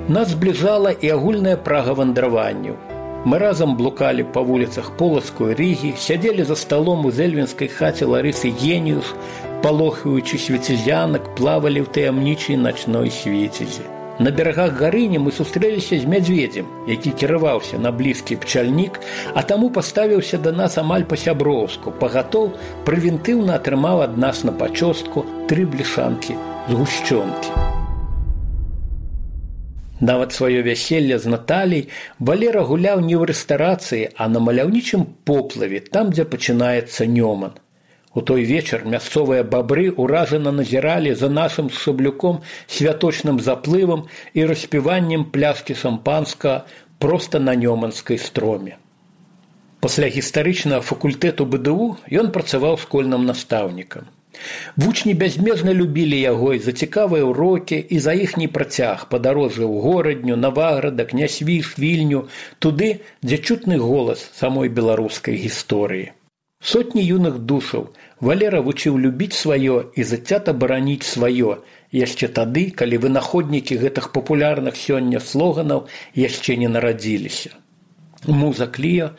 Нас збліжала і агульная прага вандраванняў. Мы разам блукалі па вуліцах Полацкой Рігі, сядзелі за сталом у зельвінскай хаце Ларысы Геніус, палохаючы свецізянак, плавалі ў таямнічай начной свецізі. На берагах Гарыні мы сустрэліся з мядзведзем, які кіраваўся на блізкі пчальнік, а таму паставіўся да нас амаль па-сяброўску, пагатоў прэвентыўна атрымаў ад нас на пачостку тры блішанкі згушчонкі. Нават сваё вяселле з Наталей Валера гуляў не ў рэстарацыі, а на маляўнічым поплаве, там, дзе пачынаецца Нёман. У той вечар мясцовыя бабры ўражана назіралі за нашым з Шаблюком святочным заплывам і распіваннем пляшкі шампанскага проста на Нёманскай строме. Пасля гістарычнага факультэту бэ дэ у ён працаваў школьным настаўнікам. Вучні бязмежна любілі яго і за цікавыя ўрокі, і за іхні працяг падарожжа ў горадню, Наваграда, Княсвіж, Вільню, туды, дзе чутны голас самой беларускай гісторыі. Сотні юных душаў Валера вучыў любіць сваё і зацята бараніць сваё, яшчэ тады, калі вынаходнікі гэтых папулярных сёння слоганаў яшчэ не нарадзіліся. Муза Кліо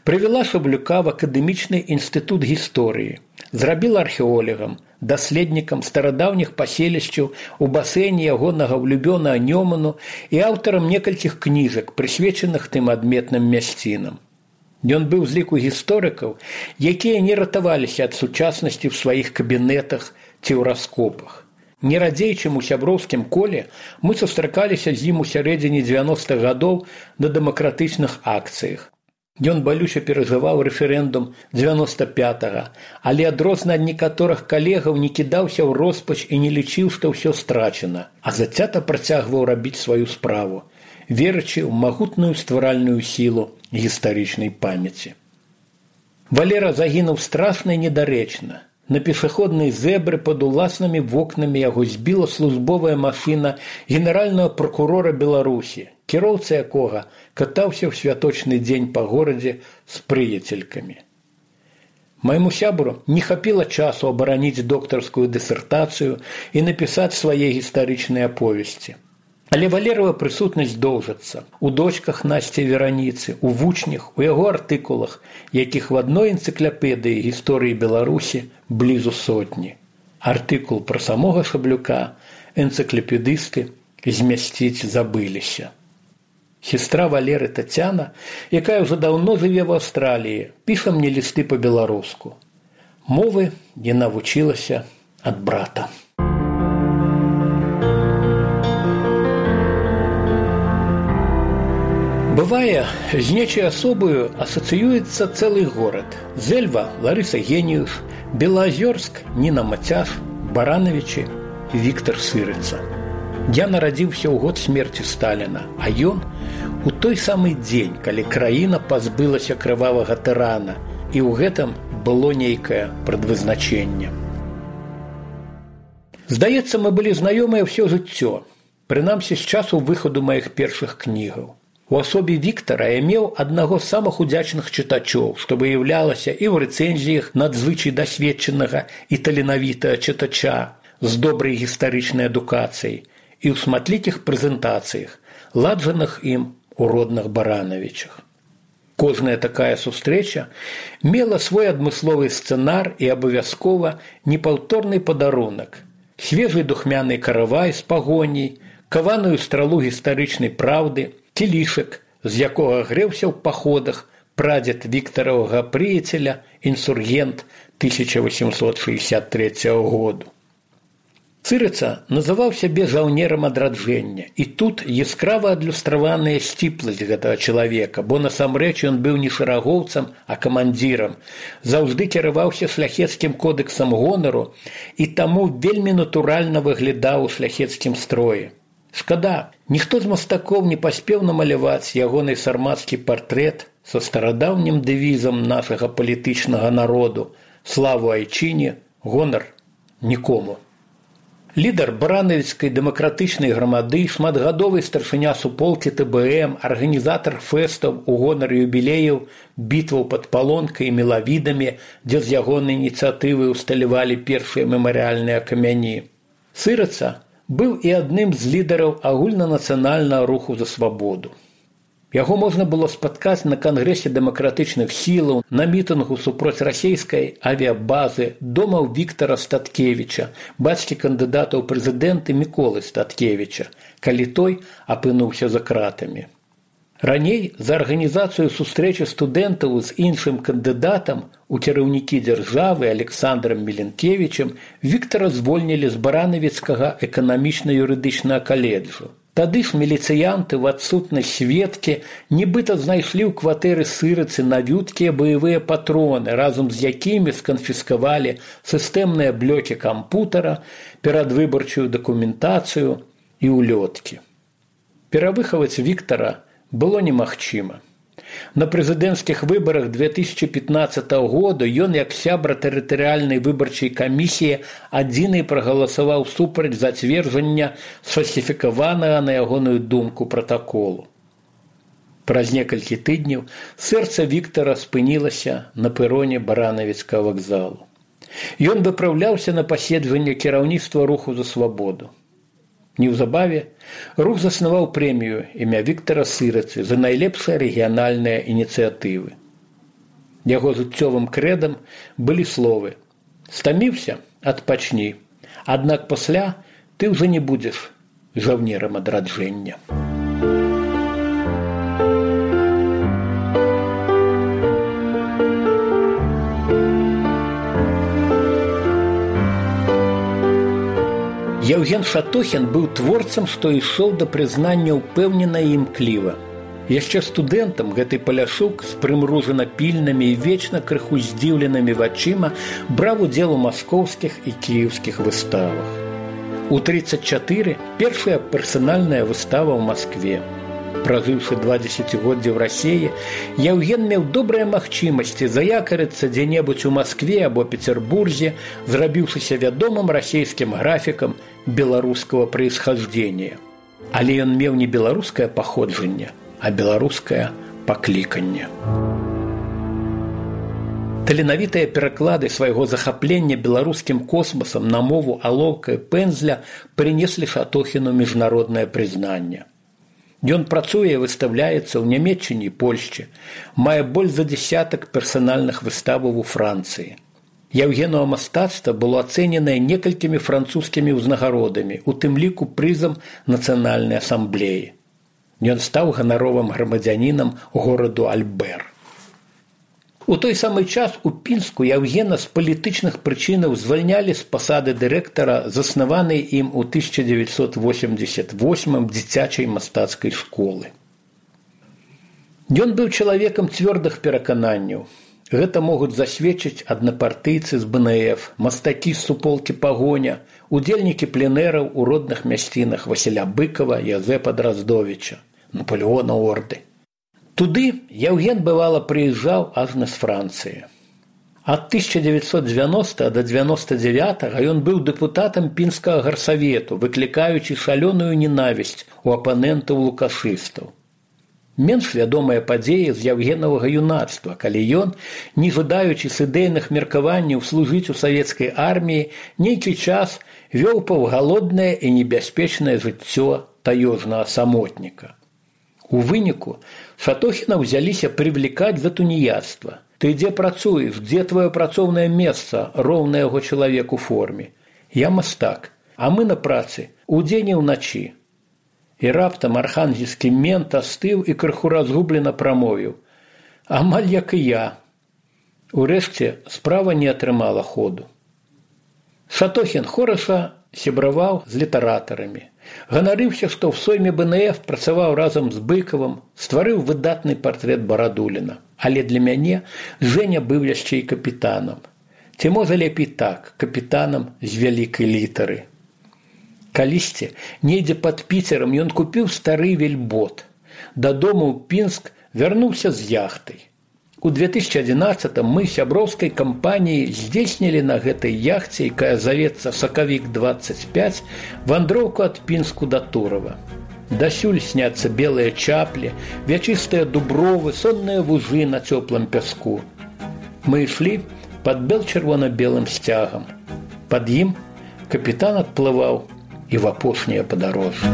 прывяла Шаблюка в акадэмічны інстытут гісторыі, зрабіла археолегам, даследнікам старадаўніх паселішчаў у басейне ягонага ўлюбёнага Нёману і аўтарам некалькіх кніжак, прысвечаных тым адметным мясцінам. Ён быў з ліку гісторыкаў, якія не ратаваліся ад сучаснасці ў сваіх кабінетах ці ў раскопах. Не радзей, чым у сяброўскім коле, мы сустракаліся з ім у сярэдзіне дзевяностых гадоў на дэмакратычных акцыях. Ён балюча перажываў рэферэндум дзевяноста пятага, але адрозна ад некаторых калегаў не кідаўся ў роспач і не лічыў, што ўсё страчана, а зацята працягваў рабіць сваю справу, верачы ў магутную стваральную сілу гістарычнай памяці. Валера загінуў страшна і недарэчна. На пешаходнай зэбры пад уласнымі вокнамі яго збіла службовая машына генеральнага пракурора Беларусі, кіроўца якога катаўся ў святочны дзень па горадзе з прыяцелькамі. Майму сябру не хапіла часу абараніць доктарскую дысертацыю і напісаць свае гістарычныя аповесці. Але Валерава прысутнасць доўжыцца у дочках Насці Вераніцы, у вучнях, у яго артыкулах, якіх в адной энцыклапедыі гісторыі Беларусі блізу сотні. Артыкул пра самога Шаблюка энцыклапедысты змясціць забыліся. Сестра Валеры Тацяна, якая ўжо даўно жыве в Аўстраліі, піша мне лісты па-беларуску. Мовы яна вучылася ад брата. Бывае, з нечай асобою асацыюецца цэлы горад. Зельва – Ларыса Геніус, Белаазёрск – Ніна Мацяш, Баранавічы – Віктар Сырыца. Я нарадзіўся ў год смерці Сталіна, а ён у той самы дзень, калі краіна пазбылася крывавага тырана, і ў гэтым было нейкае прадвызначэнне. Здаецца, мы былі знаёмыя ўсё жыццё, прынамсі з часу выхаду маіх першых кнігаў. У асобе Віктара я меў аднаго з самых удзячных чытачоў, што выяўлялася і ў рэцэнзіях надзвычай дасведчанага і таленавітага чытача з добрай гістарычнай адукацыяй і ў шматлікіх прэзентацыях, ладжаных ім у родных Баранавічах. Кожная такая сустрэча мела свой адмысловы сцэнар і абавязкова непаўторны падарунак, свежы духмяны каравай з пагоняй, каваную стралу гістарычнай праўды, кілішак, з якога грэўся ў паходах прадзед Віктаравага прыяцеля, інсургент тысяча восемьсот шестьдесят третьего году. Сырыца называў сябе жаўнерам адраджэння, і тут яскрава адлюстраваная сціпласць гэтага чалавека, бо насамрэч ён быў не шэрагоўцам, а камандзірам, заўжды кіраваўся шляхецкім кодэксам гонару і таму вельмі натуральна выглядаў у шляхецкім строі. Шкада, ніхто з мастакоў не паспеў намаляваць ягоны сармацкі партрэт са старадаўнім дэвізам нашага палітычнага народу «Славу айчыне, гонар нікому». Лідар баранавіцкай дэмакратычнай грамады, шматгадовы старшыня суполкі тэ бэ эм, арганізатар фэстаў у гонар юбілеяў, бітваў пад Палонкай і Мелавідамі, дзе з ягонай ініцыятывы ўсталявалі першыя мемарыяльныя камяні. Сырыца быў і адным з лідараў агульнанацыянальнага руху за свабоду. Яго можна было спаткаць на кангрэсе дэмакратычных сілаў, на мітынгу супроць расійскай авіабазы, дома ў Віктара Статкевіча, бацькі кандыдата ў прэзідэнты Міколы Статкевіча, калі той апынуўся за кратамі. Раней за арганізацыю сустрэчы студэнтаў з іншым кандыдатам у кіраўнікі дзяржавы Александрам Міленкевічам Віктара звольнілі з баранавіцкага эканамічна-юрыдычнага каледжу. Тады ж міліцыянты ў адсутнасць сведкі нібыта знайшлі ў кватэры Сырыцы навюткія баявыя патроны, разам з якімі сканфіскавалі сістэмныя блокі кампутара, перадвыбарчую дакументацыю і ўлёткі. Перавыхаваць Віктара было немагчыма. На прэзідэнцкіх выбарах две тысячи пятнадцатого года ён, як сябра тэрытарыяльнай выбарчай камісіі, адзіны прагаласаваў супраць зацверджання сфальсіфікаванага, на ягоную думку, пратаколу. Праз некалькі тыдняў сэрца Віктара спынілася на пэроне баранавіцкага вакзалу. Ён выпраўляўся на паседжанне кіраўніцтва руху за свабоду. Неўзабаве рух заснаваў прэмію імя Віктара Сырыцы за найлепшыя рэгіянальныя ініцыятывы. Яго жыццёвым крэдам былі словы: «Стаміўся? Адпачні. Аднак пасля ты ўжо не будзеш жаўнерам адраджэння». Яўген Шатохін быў творцам, што ішоў да прызнання ўпэўнена і імкліва. Яшчэ студэнтам гэты паляшук з прымружана пільнымі і вечна крыху здзіўленымі вачыма браў удзел у маскоўскіх і кіеўскіх выставах. У тридцать чатыры першая персанальная выстава ў Маскве. Пражыўшы два дзесяцігоддзі ў Расіі, Яўген меў добрыя магчымасці заякарыцца дзе-небудзь у Маскве або Петербурзе, зрабіўшыся вядомым расійскім графікам беларускага происхождения. Але ён меў не беларускае паходжанне, а беларускае пакліканне. Таленавітыя пераклады свайго захаплення беларускім космасам на мову алоўка і пэндзля прынеслі Шатохіну міжнароднае прызнанне. Ён працуе і выстаўляецца ў Нямецчыне і Польшчы, мае больш за дзесятак персанальных выставаў у Францыі. Яўгенова мастацтва было ацэненае некалькімі французскімі ўзнагародамі, у тым ліку прызам Нацыянальнай асамблеі. Ён стаў ганаровым грамадзянінам гораду Альбер. У той самы час у Пінску Яўгена з палітычных прычынаў звальнялі з пасады дырэктара заснаванай ім у тысяча дзевяцьсот восемьдесят восьмым дзіцячай мастацкай школы. Ён быў чалавекам цвёрдых перакананняў. Гэта могуць засведчыць аднапартыйцы з бэ эн эф, мастакі з суполкі «Пагоня», удзельнікі пленэраў у родных мясцінах Васіля Быкова, Язэпа Драздовіча, Напалеона Орды. Туды Яўген бывала прыязджаў ажна з Францыі. Ад тысяча дзевяцьсот дзевяностага да дзевяноста дзевятага ён быў дэпутатам пінскага гарсавету, выклікаючы шалёную ненавісць у апанентаў лукашыстаў. Менш вядомыя падзеі з Яўгенавага юнацтва, калі ён, не жадаючы з ідэйных меркаванняў служыць у савецкай арміі, нейкі час вёў паўгалоднае і небяспечнае жыццё таёжнага самотніка. У выніку Шатохіна ўзяліся прывлікаць за туніяцтва. «Ты дзе працуеш? Дзе твоё працоўнае месца?» – роўна яго чалавек у форме. «Я мастак, а мы на працы, удзень і ўначы». І раптам архангельскі мент астыў і крыху разгублена прамовіў: «Амаль як і я». Урэшце справа не атрымала ходу. Шатохін хораша сябраваў з літаратарамі. Ганарыўся, што ў сойме бэ эн эф працаваў разам з Быкавым, стварыў выдатны партрэт Барадуліна. Але для мяне Жэня быў яшчэ і капітанам. Ці можа лепей так, капітанам з вялікай літары. Калісьці, недзе пад Піцерам ён купіў стары вельбот. Дадому ў Пінск вярнуўся з яхтай. У две тысячи одиннадцатом мы сяброўскай кампаніяй здзейснілі на гэтай яхце, якая завецца «Сакавік двадцать пять», вандроўку ад Пінску да Турова. Дасюль сняцца белыя чаплі, вячыстыя дубровы, сонныя вужы на цёплым пяску. Мы ішлі пад бел-чырвона-белым сцягам. Пад ім капітан адплываў і в апошняе падарожжа.